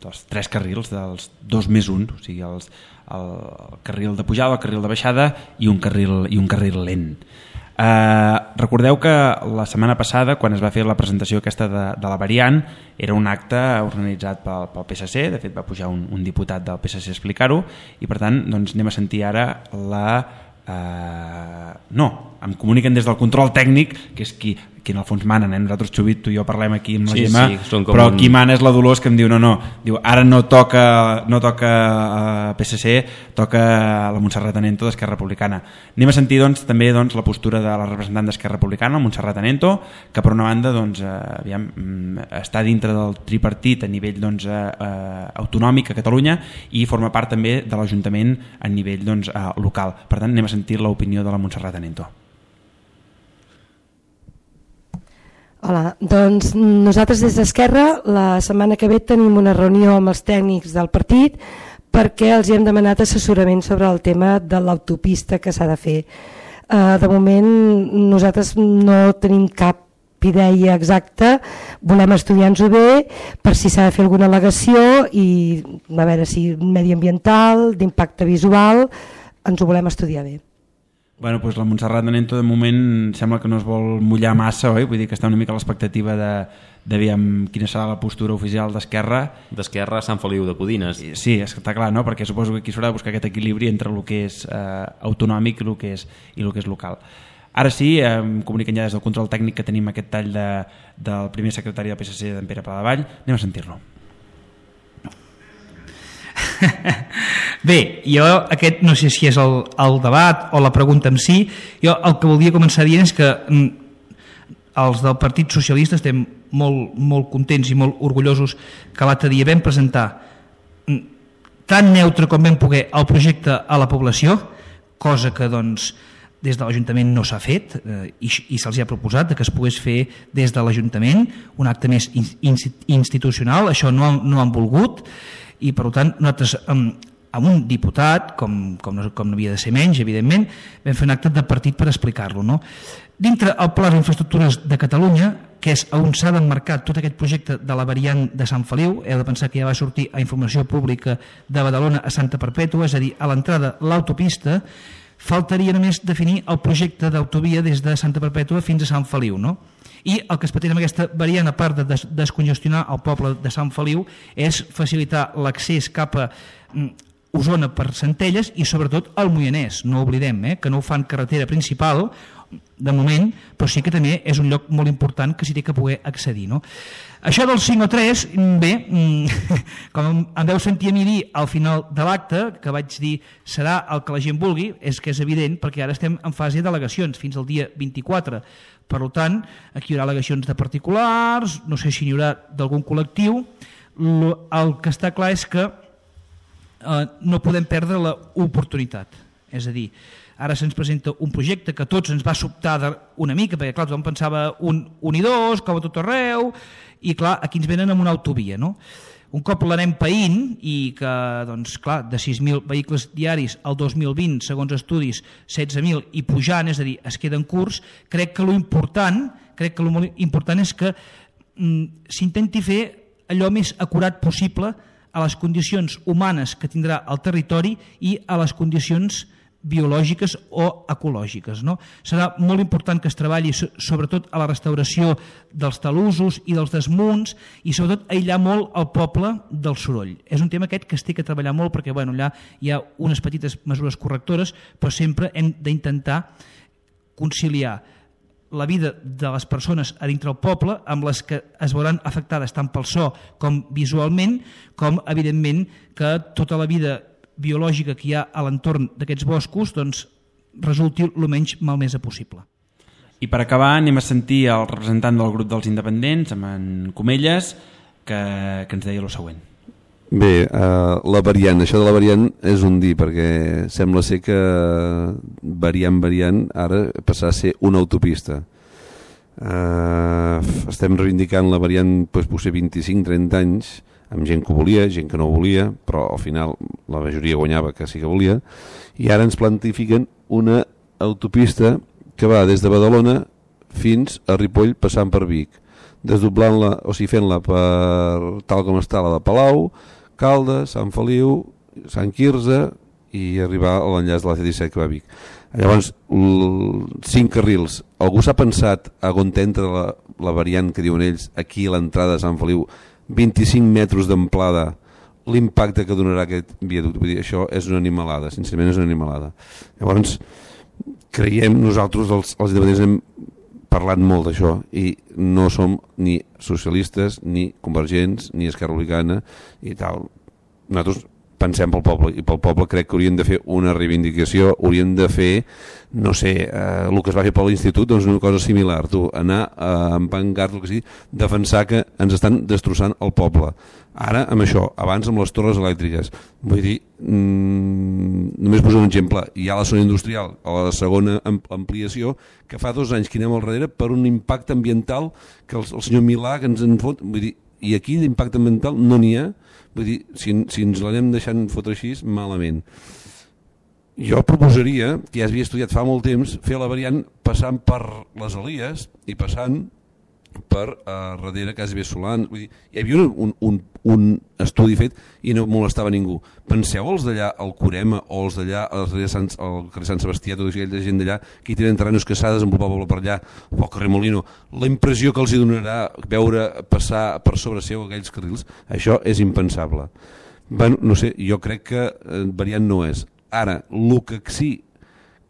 dels tres carrils, dels dos més un, o sigui, els, el, el carril de pujada, el carril de baixada i un carril, i un carril lent. Eh, recordeu que la setmana passada, quan es va fer la presentació aquesta de, de la variant, era un acte organitzat pel, pel P S C, de fet va pujar un, un diputat del P S C a explicar-ho, i per tant doncs, anem a sentir ara la... Eh, no, em comuniquen des del control tècnic, que és qui, qui en el fons manen, eh? Nosaltres, Xubit, tu i jo parlem aquí amb la sí, Gemma, sí, però un... qui mana és la Dolors, que em diu no, no, diu, ara no toca, no toca uh, P S C, toca la Montserrat Anento d'Esquerra Republicana. Anem a sentir doncs, també doncs, la postura de la representant d'Esquerra Republicana, la Montserrat Anento, que per una banda doncs, uh, aviam, està dintre del tripartit a nivell doncs, uh, uh, autonòmic a Catalunya i forma part també de l'Ajuntament a nivell doncs, uh, local. Per tant, anem a sentir l'opinió de la Montserrat Anento. Hola, doncs nosaltres des d'Esquerra la setmana que ve tenim una reunió amb els tècnics del partit perquè els hem demanat assessorament sobre el tema de l'autopista que s'ha de fer. Uh, de moment nosaltres no tenim cap idea exacta, volem estudiar-nos-ho bé per si s'ha de fer alguna al·legació i a veure si mediambiental, d'impacte visual, ens ho volem estudiar bé. Bueno, doncs la Montserrat Anento de moment sembla que no es vol mullar massa, oi? Vull dir que està una mica a l'expectativa de, de veure quina serà la postura oficial d'Esquerra. D'Esquerra a Sant Feliu de Codines. Sí, està clar, no? Perquè suposo que aquí s'haurà de buscar aquest equilibri entre el que és eh, autonòmic i el que és, i el que és local. Ara sí, eh, em comuniquen ja des del control tècnic que tenim aquest tall de, del primer secretari del P S C, d'en Pere Paladevall. Anem a sentir-lo. Bé, jo aquest no sé si és el, el debat o la pregunta en si. Jo el que voldria començar dient és que els del Partit Socialista estem molt, molt contents i molt orgullosos que l'altre dia vam presentar tan neutre com vam poder el projecte a la població, cosa que doncs des de l'Ajuntament no s'ha fet eh, i, i se'ls ha proposat que es pogués fer des de l'Ajuntament un acte més in, institucional. Això no, no han volgut i per tant nosaltres um, amb un diputat, com, com, no, com no havia de ser menys, evidentment, vam fer un acte de partit per explicar-lo. No? Dintre el Pla d'Infraestructures de Catalunya, que és on s'ha d'emmarcar tot aquest projecte de la variant de Sant Feliu, heu de pensar que ja va sortir a informació pública de Badalona a Santa Perpètua, és a dir, a l'entrada l'autopista, faltaria només definir el projecte d'autovia des de Santa Perpètua fins a Sant Feliu, no? I el que es pretén amb aquesta variant, a part de des descongestionar el poble de Sant Feliu, és facilitar l'accés cap a Osona per Centelles i sobretot al Moianès, no oblidem, eh, que no ho fan carretera principal de moment, però sí que també és un lloc molt important que s'hi té que poder accedir. No? Això del cinc o tres, bé, com em veu sentir a mi dir al final de l'acte, que vaig dir serà el que la gent vulgui, és que és evident perquè ara estem en fase d'al·legacions fins al dia vint-i-quatre. Per tant, aquí hi haurà al·legacions de particulars, no sé si n'hi haurà d'algun col·lectiu. El que està clar és que eh, no podem perdre l'oportunitat. És a dir, ara se'ns presenta un projecte que a tots ens va sobtar una mica, perquè clar, tothom pensava un, un i dos, com a tot arreu, i clar, aquí ens venen amb una autovia, no? Un cop l'anem païnt i que, doncs, clar, de sis mil vehicles diaris al dos mil vint, segons estudis, setze mil i pujant, és a dir, es queda en curs, crec que l'important, crec que el important és que mm, s'intenti fer allò més acurat possible a les condicions humanes que tindrà el territori i a les condicions biològiques o ecològiques. No? Serà molt important que es treballi sobretot a la restauració dels talussos i dels desmunts i sobretot aïllar molt el poble del soroll. És un tema aquest que es té que treballar molt perquè bueno, allà hi ha unes petites mesures correctores, però sempre hem d'intentar conciliar la vida de les persones a dintre el poble amb les que es veuran afectades tant pel so com visualment, com evidentment que tota la vida biològica que hi ha a l'entorn d'aquests boscos doncs, resulti el menys malmesa possible. I per acabar anem a sentir el representant del grup dels independents, amb en Comelles, que, que ens deia el següent. Bé, uh, la variant, això de la variant és un dir, perquè sembla ser que variant, variant, ara passarà a ser una autopista. Uh, estem reivindicant la variant doncs, potser vint-i-cinc trenta anys, amb gent que ho volia, gent que no ho volia, però al final la majoria guanyava que sí que volia, i ara ens plantifiquen una autopista que va des de Badalona fins a Ripoll passant per Vic, desdoblant-la, o sigui fent-la per tal com està la de Palau, Caldes, Sant Feliu, Sant Quirze i arribar a l'enllaç de la C disset que va a Vic. Llavors, cinc carrils. Algú s'ha pensat a on entra la, la variant que diuen ells aquí a l'entrada de Sant Feliu, vint-i-cinc metres d'amplada, l'impacte que donarà aquest viaducte? Vull dir, això és una animalada, sincerament és una animalada. Llavors, creiem, nosaltres els, els independents hem parlat molt d'això i no som ni socialistes, ni convergents, ni Esquerra Republicana i tal. Nosaltres pensem pel poble i pel poble crec que hauríem de fer una reivindicació, hauríem de fer, no sé, eh, el que es va fer per l'institut, doncs una cosa similar, tu, anar a empancar el que sigui, defensar que ens estan destrossant el poble. Ara amb això, abans amb les torres elèctriques, vull dir, mmm, només poso un exemple, hi ha la zona industrial, a la segona ampliació, que fa dos anys que anem al darrere per un impacte ambiental que el, el senyor Milà que ens en fot, vull dir, i aquí d'impacte ambiental no n'hi ha, vull dir, si, si ens l'anem deixant fotre així, malament. Jo proposaria, que ja havia estudiat fa molt temps, fer la variant passant per les Elies i passant per uh, darrere Casa Bé Solant. Vull dir, hi havia un, un, un estudi fet i no molestava ningú. Penseu els d'allà al Corema o els d'allà al carrer Sant, Sant Sebastià, tota aquella gent d'allà que hi tenen terrenos que s'ha desenvolupat poble per allà, o al carrer Molino, la impressió que els hi donarà veure passar per sobre seu aquells carrils, això és impensable. Bueno, no sé, jo crec que eh, variant no és. Ara, el que sí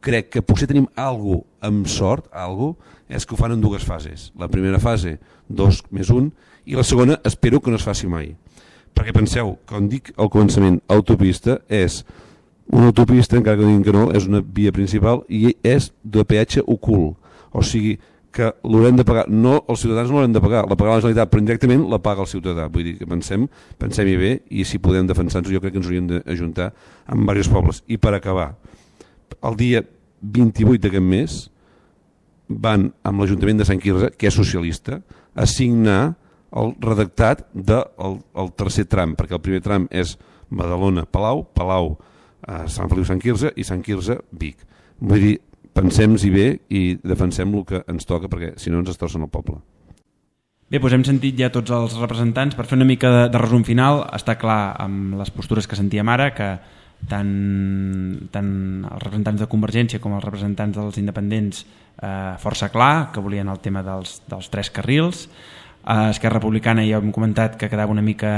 crec que potser tenim alguna cosa amb sort, alguna cosa, és que ho fan en dues fases. La primera fase, dos més un, i la segona espero que no es faci mai. Perquè penseu, com dic al començament, autopista és una autopista, encara que diguin que no, és una via principal i és de peatge ocult. O sigui que l'haurem de pagar, no, els ciutadans no l'haurem de pagar, la paga la Generalitat, però indirectament la paga el ciutadà. Vull dir que pensem, pensem-hi bé i si podem defensar-nos, jo crec que ens hauríem d'ajuntar amb diversos pobles. I per acabar, el dia vint-i-vuit d'aquest mes van amb l'Ajuntament de Sant Quirze, que és socialista, a signar el redactat del el tercer tram, perquè el primer tram és Badalona, Palau, Palau, eh, Sant Feliu, Sant Quirze i Sant Quirze, Vic. Vull dir, pensem-hi bé i defensem el que ens toca, perquè si no ens destrossen el poble. Bé, doncs hem sentit ja tots els representants. Per fer una mica de, de resum final, està clar amb les postures que sentíem ara que tant, tant els representants de Convergència com els representants dels independents eh, força clar, que volien el tema dels, dels tres carrils. A Esquerra Republicana ja hem comentat que quedava una mica...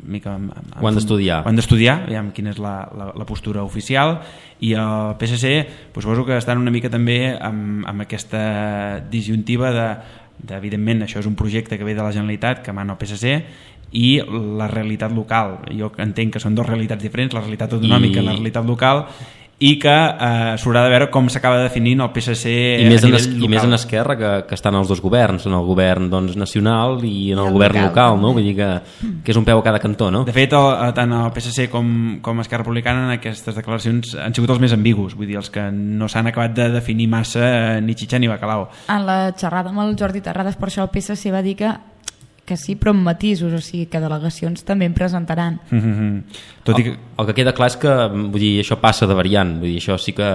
mica ho han d'estudiar. Ho han d'estudiar, veiem quina és la, la, la postura oficial, i el P S C doncs, suposo que estan una mica també amb, amb aquesta disjuntiva de, de, evidentment, això és un projecte que ve de la Generalitat, que mana el P S C, i la realitat local. Jo entenc que són dues realitats diferents, la realitat autonòmica I, i la realitat local, i que eh, s'haurà de veure com s'acaba definint el P S C I més, a en, nivell local. I més en Esquerra, que, que estan els dos governs, en el govern doncs, nacional i en el, el govern local, local no? Vull dir que, que és un peu a cada cantó, no? De fet, el, tant el P S C com, com Esquerra Republicana en aquestes declaracions han sigut els més ambigus, vull dir, els que no s'han acabat de definir massa ni xitxa ni bacalao. En la xerrada amb el Jordi Terrades, per això el P S C va dir que que sí, però amb matisos, o sigui que delegacions també en presentaran. Mm-hmm. Tot i que... El, el que queda clar és que vull dir, això passa de variant, vull dir, això sí que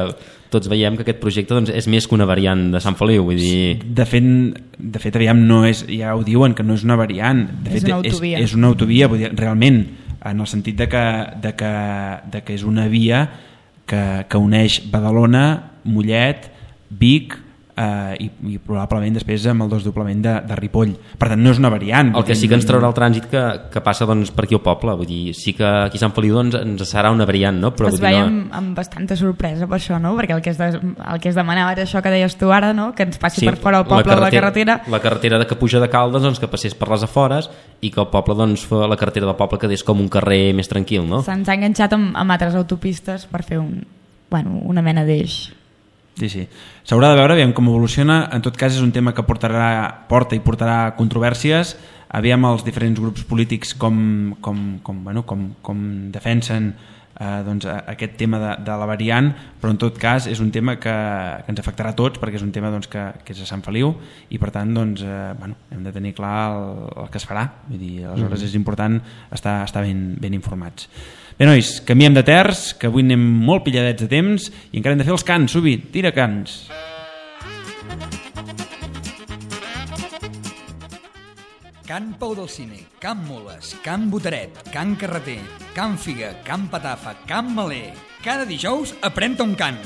tots veiem que aquest projecte doncs, és més que una variant de Sant Feliu, vull dir... De fet, de fet aviam, no és, ja ho diuen, que no és una variant, de és fet, una autovia. És, és una autovia, vull dir, realment, en el sentit de que, de que, de que és una via que, que uneix Badalona, Mollet, Vic, Uh, i, i probablement després amb el desdoblament de, de Ripoll. Per tant, no és una variant. El que sí que ens traurà el trànsit que, que passa doncs, per aquí al poble, vull dir, sí que aquí a Sant Feliu doncs, ens serà una variant, no? Però, es vull dir, veiem no... amb bastanta sorpresa per això, no? Perquè el que es, de, el que es demanava era això que deies tu ara, no? Que ens passi sí, per fora el poble la carretera, la carretera de que puja de Caldes doncs, que passés per les afores i que el poble, doncs, la carretera del poble quedés com un carrer més tranquil, no? Se'ns ha enganxat amb, amb altres autopistes per fer un, bueno, una mena d'eix. Sí, sí. S'haurà de veure, aviam com evoluciona. En tot cas, és un tema que portarà, porta i portarà controvèrsies. Aviam els diferents grups polítics com, com, com, bueno, com, com defensen eh, doncs, aquest tema de, de la variant, però en tot cas és un tema que, que ens afectarà a tots, perquè és un tema doncs, que, que és a Sant Feliu i per tant doncs, eh, bueno, hem de tenir clar el, el que es farà. Vull dir, aleshores mm. és important estar, estar ben, ben informats. Bé, nois, canviem de terç, que avui anem molt pilladets de temps i encara hem de fer els cants, Subi, tira cants. Can Pau del Cine, Can Moles, Can Boteret, Can Carreter, Can Figa, Can Patafa, Can Maler. Cada dijous aprèn-te un cant.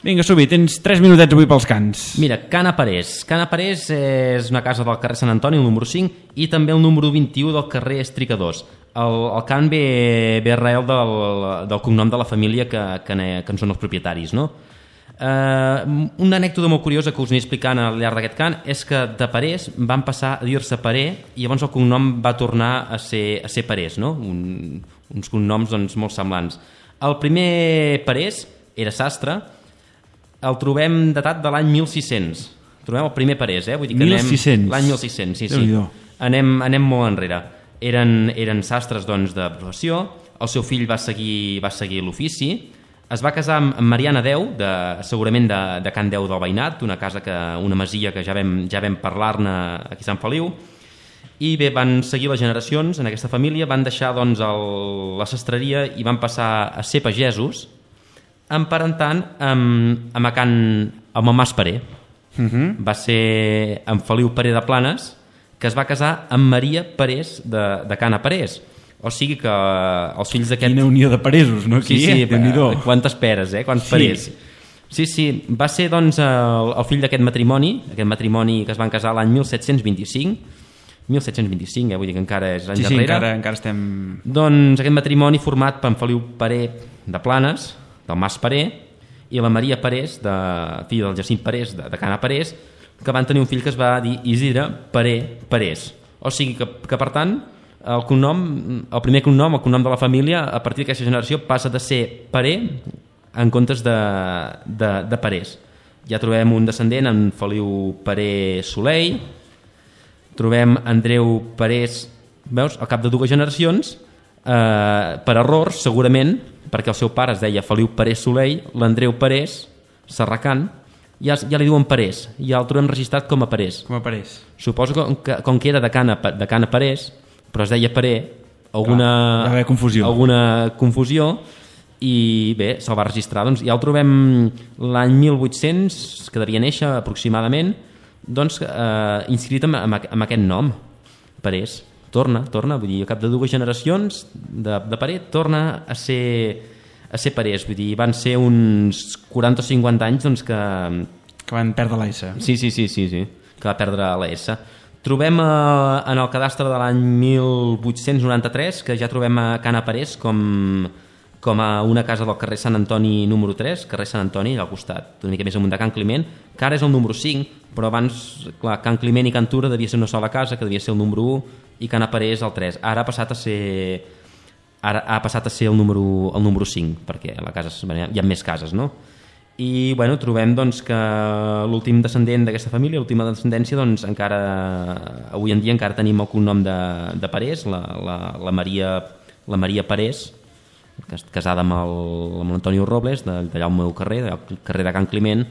Vinga, Subi, tens tres minutets avui pels cants. Mira, Can Aparés. Can Aparés és una casa del carrer Sant Antoni, el número cinc, i també el número vint-i-u del carrer Estricadors. El, el cant ve, ve arrel del, del cognom de la família que, que, ne, que en són els propietaris, no? Eh, una anècdota molt curiosa que us aniré explicant al llarg d'aquest cant és que de Parés van passar a dir-se Paré i llavors el cognom va tornar a ser, a ser Parés, no? Un, uns cognoms doncs, molt semblants. El primer Parés era sastre, el trobem datat de l'any mil sis-cents. Trobem el primer Parés, eh? Vull dir que mil sis-cents. L'any mil sis-cents, sí, sí. Anem, anem molt enrere. Eren, eren sastres doncs, de professió, el seu fill va seguir, va seguir l'ofici, es va casar amb Mariana Deu, de, segurament de, de Can Deu del Veïnat, una casa que, una masia que ja vam, ja vam parlar-ne aquí a Sant Feliu, i bé, van seguir les generacions en aquesta família, van deixar doncs, el, la sastreria i van passar a ser pagesos, emparentant amb, amb, a Can, amb el Mas Paré. Uh-huh. Va ser en Feliu Paré de Planes, que es va casar amb Maria Parés de, de Cana Parés. O sigui que els fills d'aquest... Quina unió de paresos, no? Aquí, sí, sí, eh? Quantes peres, eh? Quants sí. Parés. Sí, sí, va ser doncs el, el fill d'aquest matrimoni, aquest matrimoni que es van casar l'any mil set-cents vint-i-cinc, mil set-cents vint-i-cinc, eh? Vull dir que encara és l'any sí, darrere. Sí, encara, encara estem... Doncs aquest matrimoni format per en Feliu Paré de Planes, del Mas Paré, i la Maria Parés, de, filla del Jacint Parés, de, de Cana Parés, que van tenir un fill que es va dir Isidre Paré Parés. O sigui que, que per tant, el cognom, el primer cognom, el cognom de la família, a partir d'aquesta generació passa de ser Paré en comptes de, de, de Parés. Ja trobem un descendent, en Feliu Paré Soleil, trobem Andreu Parés, veus, al cap de dues generacions, eh, per errors, segurament, perquè el seu pare es deia Feliu Parés Soleil, l'Andreu Parés, Serracant, ja, ja li diuen Parés, ja el trobem registrat com a Parés. Com a Parés. Suposo que com que era de Cana, de Cana Parés, però es deia Paré, alguna, Clar, va haver confusió. alguna confusió i bé, se'l va registrar. Doncs ja el trobem l'any mil vuit-cents, que devia néixer aproximadament, doncs, eh, inscrit amb, amb, amb aquest nom, Parés. Torna, torna, vull dir, al cap de dues generacions de, de Parés, torna a ser, a ser Parés. Vull dir, van ser uns quaranta o cinquanta anys doncs, que... Que van perdre la S. Sí, sí, sí, sí, sí, que va perdre la S. Trobem eh, en el cadastre de l'any mil vuit-cents noranta-tres que ja trobem a Cana Parés com, com a una casa del carrer Sant Antoni número tres, carrer Sant Antoni, al costat, una mica més amunt de Can Climent, que ara és el número cinc, però abans, clar, Can Climent i Can Tura devia ser una sola casa, que devia ser el número u, i Cana Parés el tres. Ara ha passat a ser, ara ha passat a ser el número, el número cinc, perquè a la casa hi ha més cases, no? I bueno, trobem doncs, que l'últim descendent d'aquesta família, l'última descendència, doncs, encara, avui en dia encara tenim el cognom de, de Parés, la, la, la, Maria, la Maria Parés, casada amb l'Antonio Robles, d'allà al meu carrer, del carrer de Can Climent,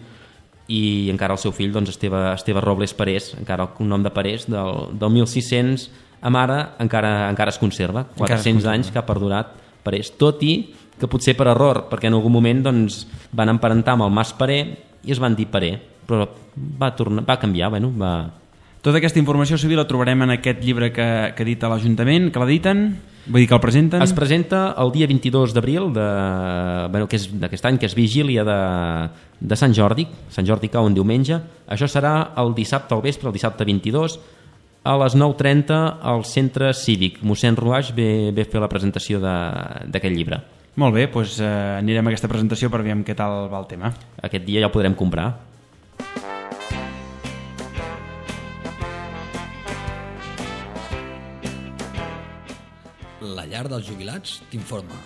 i encara el seu fill, doncs, Esteve, Esteve Robles Parés, encara el cognom de Parés, del, del mil sis-cents a mare, encara, encara es conserva, quatre-cents anys que ha perdurat Parés, tot i que potser per error, perquè en algun moment doncs, van emparentar amb el Mas Paré i es van dir Paré, però va, tornar, va canviar, bueno, va... Tota aquesta informació, Sibil, la trobarem en aquest llibre que, que edita l'Ajuntament, que l'editen, vull dir que el presenten... Es presenta el dia vint-i-dos d'abril de, bueno, que és d'aquest any, que és vigília de, de Sant Jordi, Sant Jordi cau en diumenge, això serà el dissabte al vespre, el dissabte vint-i-dos, a les nou trenta al centre cívic. Mossèn Ruaix ve, ve fer la presentació d'aquest llibre. Molt bé, doncs eh, anirem a aquesta presentació per veure què tal va el tema. Aquest dia ja el podrem comprar. La llar dels jubilats t'informa.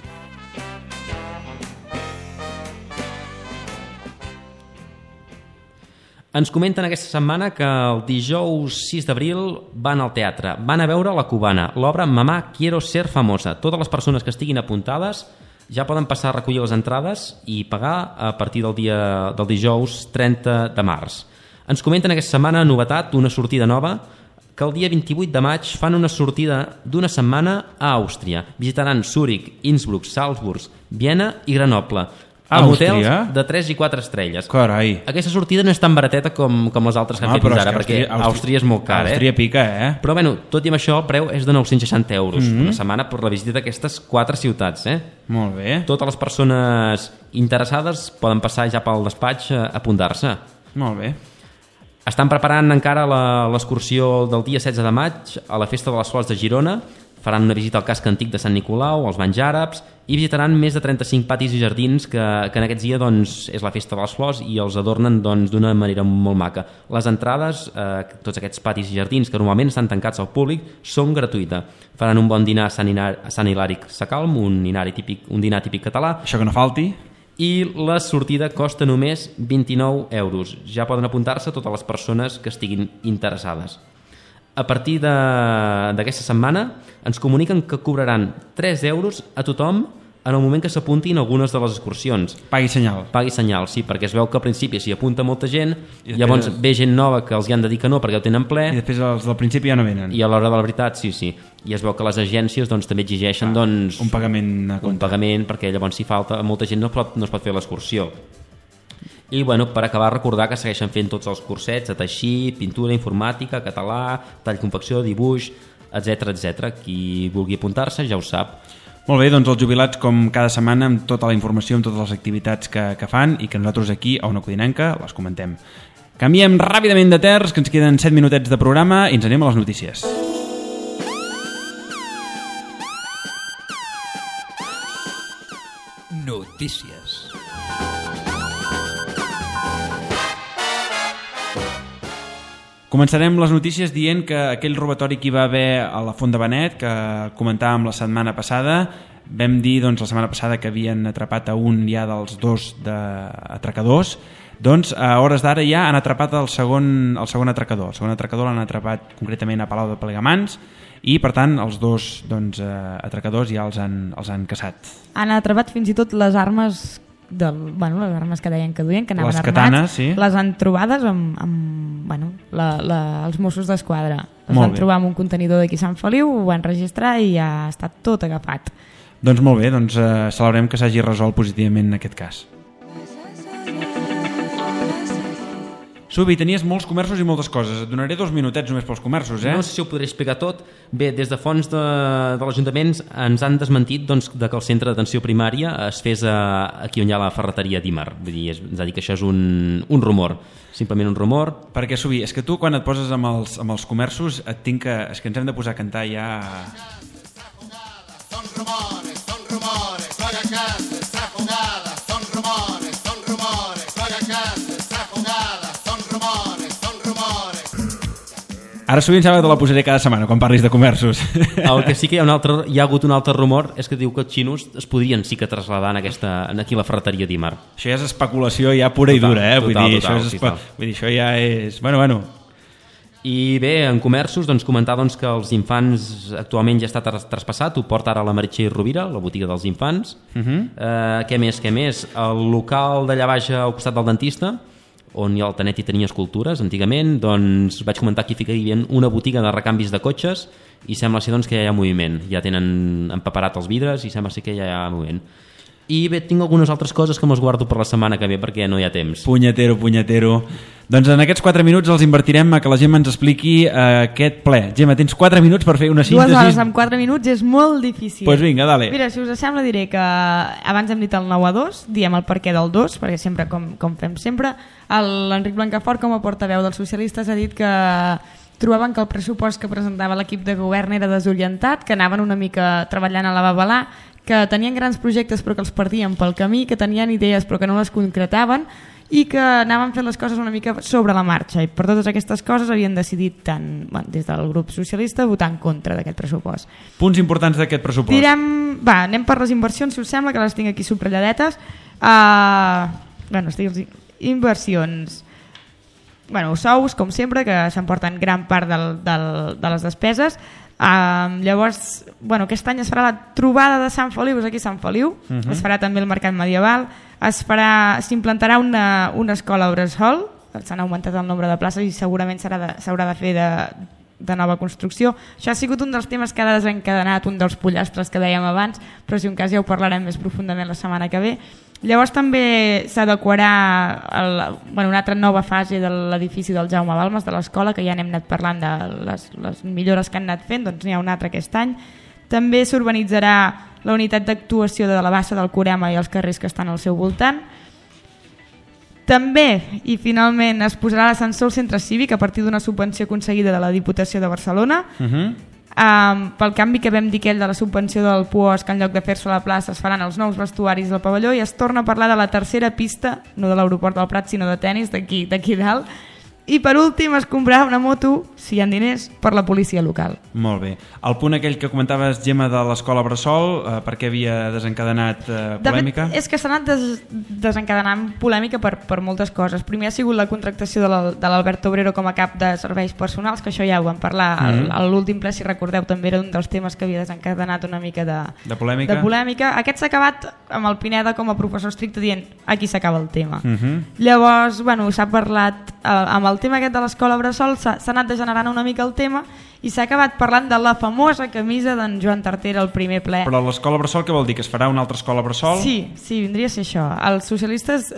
Ens comenten aquesta setmana que el dijous sis d'abril van al teatre, van a veure La Cubana, l'obra Mamá quiero ser famosa. Totes les persones que estiguin apuntades ja poden passar a recollir les entrades i pagar a partir del dia del dijous trenta de març. Ens comenten aquesta setmana, novetat, una sortida nova, que el dia vint-i-vuit de maig fan una sortida d'una setmana a Àustria. Visitaran Zúrich, Innsbruck, Salzburg, Viena i Grenoble, amb hotels de tres i quatre estrelles. Carai. Aquesta sortida no és tan barateta com, com les altres que han ah, fet fins ara, que perquè Àustria, Àustria és molt car, eh? Àustria pica, eh? Però bueno, tot i amb això, el preu és de nou-cents seixanta euros Mm-hmm. una setmana per la visita d'aquestes quatre ciutats, eh? Molt bé. Totes les persones interessades poden passar ja pel despatx a apuntar-se. Molt bé. Estan preparant encara l'excursió del dia setze de maig a la Festa de les Flors de Girona. Faran una visita al casc antic de Sant Nicolau, als banys àrabs, i visitaran més de trenta-cinc patis i jardins que, que en aquests dies doncs, és la Festa de les Flors i els adornen doncs, d'una manera molt maca. Les entrades, eh, tots aquests patis i jardins que normalment estan tancats al públic, són gratuïtes. Faran un bon dinar a Sant, Hinar, a Sant Hilari Sacalm, un dinar típic, un dinar típic català. Això que no falti. I la sortida costa només vint-i-nou euros. Ja poden apuntar-se totes les persones que estiguin interessades. A partir d'aquesta setmana ens comuniquen que cobraran tres euros a tothom en el moment que s'apuntin algunes de les excursions. Pagui senyal. Pagui senyal, sí, perquè es veu que al principi s'hi apunta molta gent, I llavors després... ve gent nova que els hi han de dir que no perquè ho tenen ple. I després els del principi ja no venen. I a l'hora de la veritat, sí, sí. I es veu que les agències doncs, també exigeixen ah, doncs, un pagament a compte. Un pagament, perquè llavors si falta molta gent no es pot, no es pot fer l'excursió. I bueno, per acabar, recordar que segueixen fent tots els cursets de teixir, pintura, informàtica, català, tall, confecció, dibuix, etcètera, etcètera. Qui vulgui apuntar-se ja ho sap. Molt bé, doncs els jubilats com cada setmana amb tota la informació, amb totes les activitats que, que fan i que nosaltres aquí a Ona Codinenca les comentem. Canviem ràpidament de terç, que ens queden set minutets de programa i ens anem a les notícies. Notícies. Començarem les notícies dient que aquell robatori que hi va haver a la Font de Benet, que comentàvem la setmana passada, vam dir doncs, la setmana passada que havien atrapat a un ja dels dos de atracadors, doncs a hores d'ara ja han atrapat el segon, el segon atracador. El segon atracador l'han atrapat concretament a Palau de Plegamans i per tant els dos doncs, atracadors ja els han, els han caçat. Han atrapat fins i tot les armes del, bueno, les armes que deien que duien, que anaven les armats, katanes, sí. Les han trobades amb, amb bueno, la, la, els Mossos d'Esquadra. Els Molt van bé. trobar amb un contenidor d'aquí a Sant Feliu, ho van registrar i ja ha estat tot agafat. Doncs molt bé, doncs eh, celebrem que s'hagi resolt positivament en aquest cas. Subi, tenies molts comerços i moltes coses. Et donaré dos minutets només pels comerços, eh? No sé si ho podré explicar tot. Bé, des de fons de, de l'Ajuntament ens han desmentit doncs, de que el centre d'atenció primària es fes a, aquí on hi ha la ferreteria d'Ímar. Vull dir, és, ens ha dit que això és un, un rumor. Simplement un rumor. Perquè, Subi, és que tu quan et poses amb els, amb els comerços et tinc que... És que ens hem de posar a cantar ja... Son rumores, son rumores, juega casa, está jugada, son rumores, son rumores, juega casa, está jugada, son rumores, son rumores. Ara sovint sembla que te la posaré cada setmana quan parlis de comerços. El que sí que hi ha, un altre, hi ha hagut un altre rumor és que diu que els xinos es podrien sí que traslladar en aquesta, en aquí a la ferreteria d'Ímar. Això ja és especulació ja pura i Total, dura, eh? Vull total, dir, total, això és espe... total. Vull dir, això ja és... Bueno, bueno... I bé, en comerços, doncs, comentar doncs, que els infants actualment ja està tras traspassat, ho porta ara la Meritxell Rovira, la botiga dels infants. Uh -huh. eh, què més, què més? El local d'allà baix al costat del dentista, on hi ha el Tanet i tenia escultures antigament, doncs vaig comentar que hi ficarien una botiga de recanvis de cotxes i sembla ser doncs, que ja hi ha moviment. Ja tenen empaperat els vidres i sembla ser que ja hi ha moviment. I bé, tinc algunes altres coses que me'ls guardo per la setmana que ve perquè no hi ha temps. Punyetero, punyetero. Doncs en aquests quatre minuts els invertirem a que la Gemma ens expliqui eh, aquest ple. Gemma, tens quatre minuts per fer una síntesi. Dues hores amb quatre minuts és molt difícil. Doncs pues vinga, dale. Mira, si us sembla diré que abans hem dit el nou a dos, diem el perquè del dos, perquè sempre, com, com fem sempre, l'Enric Blancafort, com a portaveu dels socialistes, ha dit que trobaven que el pressupost que presentava l'equip de govern era desorientat, que anaven una mica treballant a la babalà, que tenien grans projectes però que els perdien pel camí, que tenien idees però que no les concretaven i que anaven fent les coses una mica sobre la marxa, i per totes aquestes coses havien decidit tant, bueno, des del grup socialista votar en contra d'aquest pressupost. Punts importants d'aquest pressupost. Direm, va, anem per les inversions, si us sembla, que les tinc aquí subratlledetes. Uh, bueno, estic, inversions, bueno, sous, com sempre, que s'emporten gran part del, del, de les despeses. Uh, llavors, bueno, aquest any es farà la trobada de Sant Feliu, és aquí a Sant Feliu, uh -huh. Es farà també el mercat medieval, es farà, s'implantarà una, una escola bressol, s'han augmentat el nombre de places i segurament s'haurà de, s'haurà de fer de, de nova construcció. Això ha sigut un dels temes que ha desencadenat un dels pollastres que dèiem abans, però si un cas ja ho parlarem més profundament la setmana que ve. Llavors també s'adequarà el, bueno, una altra nova fase de l'edifici del Jaume Balmes, de l'escola, que ja n'hem anat parlant de les, les millores que han anat fent, doncs n'hi ha un altre aquest any. També s'urbanitzarà la unitat d'actuació de la Bassa del Corema i els carrers que estan al seu voltant. També, i finalment, es posarà l'ascensor al centre cívic a partir d'una subvenció aconseguida de la Diputació de Barcelona. Uh -huh. Um, pel canvi que vam dir aquell de la subvenció del Puos, que en lloc de fer-se a la plaça es faran els nous vestuaris del pavelló, i es torna a parlar de la tercera pista, no de l'aeroport del Prat sinó de tennis d'aquí d'aquí dalt. I per últim es comprarà una moto, si hi ha diners, per la policia local. Molt bé. El punt aquell que comentaves, Gemma, de l'escola Bressol, eh, per què havia desencadenat eh, polèmica? De fet, és que s'ha anat des desencadenant polèmica per, per moltes coses. Primer ha sigut la contractació de l'Albert Obrero com a cap de serveis personals, que això ja ho vam parlar mm-hmm. a l'últim ple, si recordeu, també era un dels temes que havia desencadenat una mica de, de, polèmica. de polèmica. Aquest s'ha acabat amb el Pineda com a professor estricte dient aquí s'acaba el tema. Mm-hmm. Llavors, bueno, s'ha parlat eh, amb el tema aquest de l'escola Bressol, s'ha anat degenerant una mica el tema i s'ha acabat parlant de la famosa camisa d'en Joan Tartera al primer ple. Però l'escola Bressol què vol dir? Que es farà una altra escola Bressol? Sí, sí, vindria a ser això. Els socialistes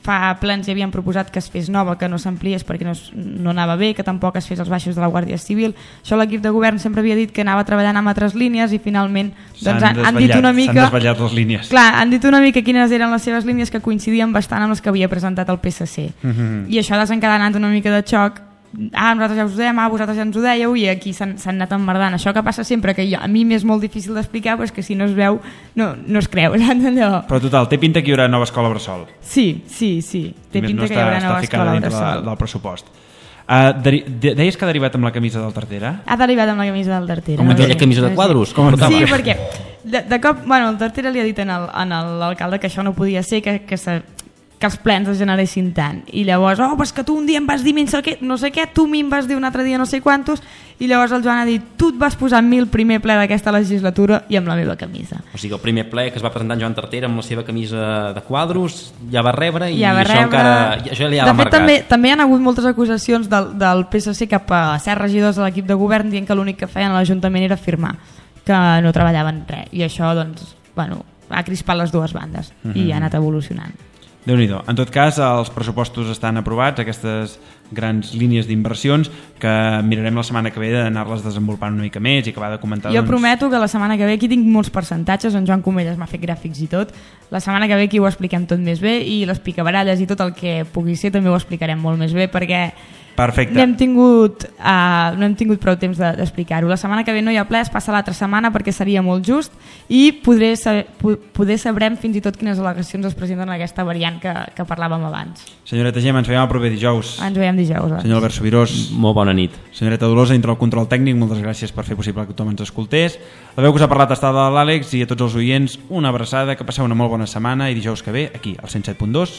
fa plens ja havien proposat que es fes nova, que no s'ampliés perquè no, no anava bé, que tampoc es fes als baixos de la Guàrdia Civil. Això l'equip de govern sempre havia dit que anava treballant amb altres línies i finalment doncs, han, han dit una mica... S'han desvetllat les línies. Clar, han dit una mica quines eren les seves línies, que coincidien bastant amb les que havia presentat el P S C. Mm-hmm. I això ha desencadenat una mica de xoc. Ah, nosaltres ja us ho dèiem, ah, vosaltres ja ens ho dèieu, i aquí s'han anat emmerdant. Això que passa sempre, que jo, a mi m'és molt difícil d'explicar, però és que si no es veu no, no es creu, saps allò? Però total, té pinta que hi haurà nova escola Bressol. Sí, sí, sí, té pinta no que hi haurà està, nova està escola Bressol. De, del pressupost. Uh, de, de, deies que ha derivat amb la camisa del Tartera? Ha derivat amb la camisa del Tartera. Com aquella camisa de quadros? Com sí, perquè de, de cop, bueno, el Tartera li ha dit en l'alcalde que això no podia ser, que, que, se, que els plens es generessin tant. I llavors, oh, però és que tu un dia em vas dir no sé què, no sé què, tu a mi em vas dir un altre dia no sé quantos, i llavors el Joan ha dit, tu et vas posar a mi el primer ple d'aquesta legislatura i amb la meva camisa. O sigui, el primer ple que es va presentar en Joan Tartera amb la seva camisa de quadros ja va rebre i ja va això rebre... encara... Això ja de l'ha fet, marcat. també, també hi ha hagut moltes acusacions del, del P S C cap a certs regidors de l'equip de govern dient que l'únic que feien a l'Ajuntament era firmar, que no treballaven res. I això, doncs, bueno, ha crispat les dues bandes Mhm. i ha anat evolucionant. Déu-n'hi-do. En tot cas, els pressupostos estan aprovats, aquestes grans línies d'inversions que mirarem la setmana que ve d'anar-les desenvolupant una mica més i acabar de comentar... Jo doncs... prometo que la setmana que ve, aquí tinc molts percentatges, en Joan Comelles m'ha fet gràfics i tot, la setmana que ve aquí ho expliquem tot més bé i les picabaralles i tot el que pugui ser també ho explicarem molt més bé perquè Perfecte. no hem tingut, uh, no hem tingut prou temps de, d'explicar-ho. La setmana que ve no hi ha ple, es passa l'altra setmana perquè seria molt just i podré saber, poder sabrem fins i tot quines al·legacions es presenten en aquesta variant que, que parlàvem abans. Senyoreta Gemma, ens veiem el proper dijous. Ens veiem dijous. Doncs. Senyor Albert Sobirós. Molt bona nit. Senyoreta Dolors, dintre el control tècnic, moltes gràcies per fer possible que tothom ens escoltés. La veu que us ha parlat està de l'Àlex i a tots els oients una abraçada, que passeu una molt bona setmana i dijous que ve aquí, al cent set punt dos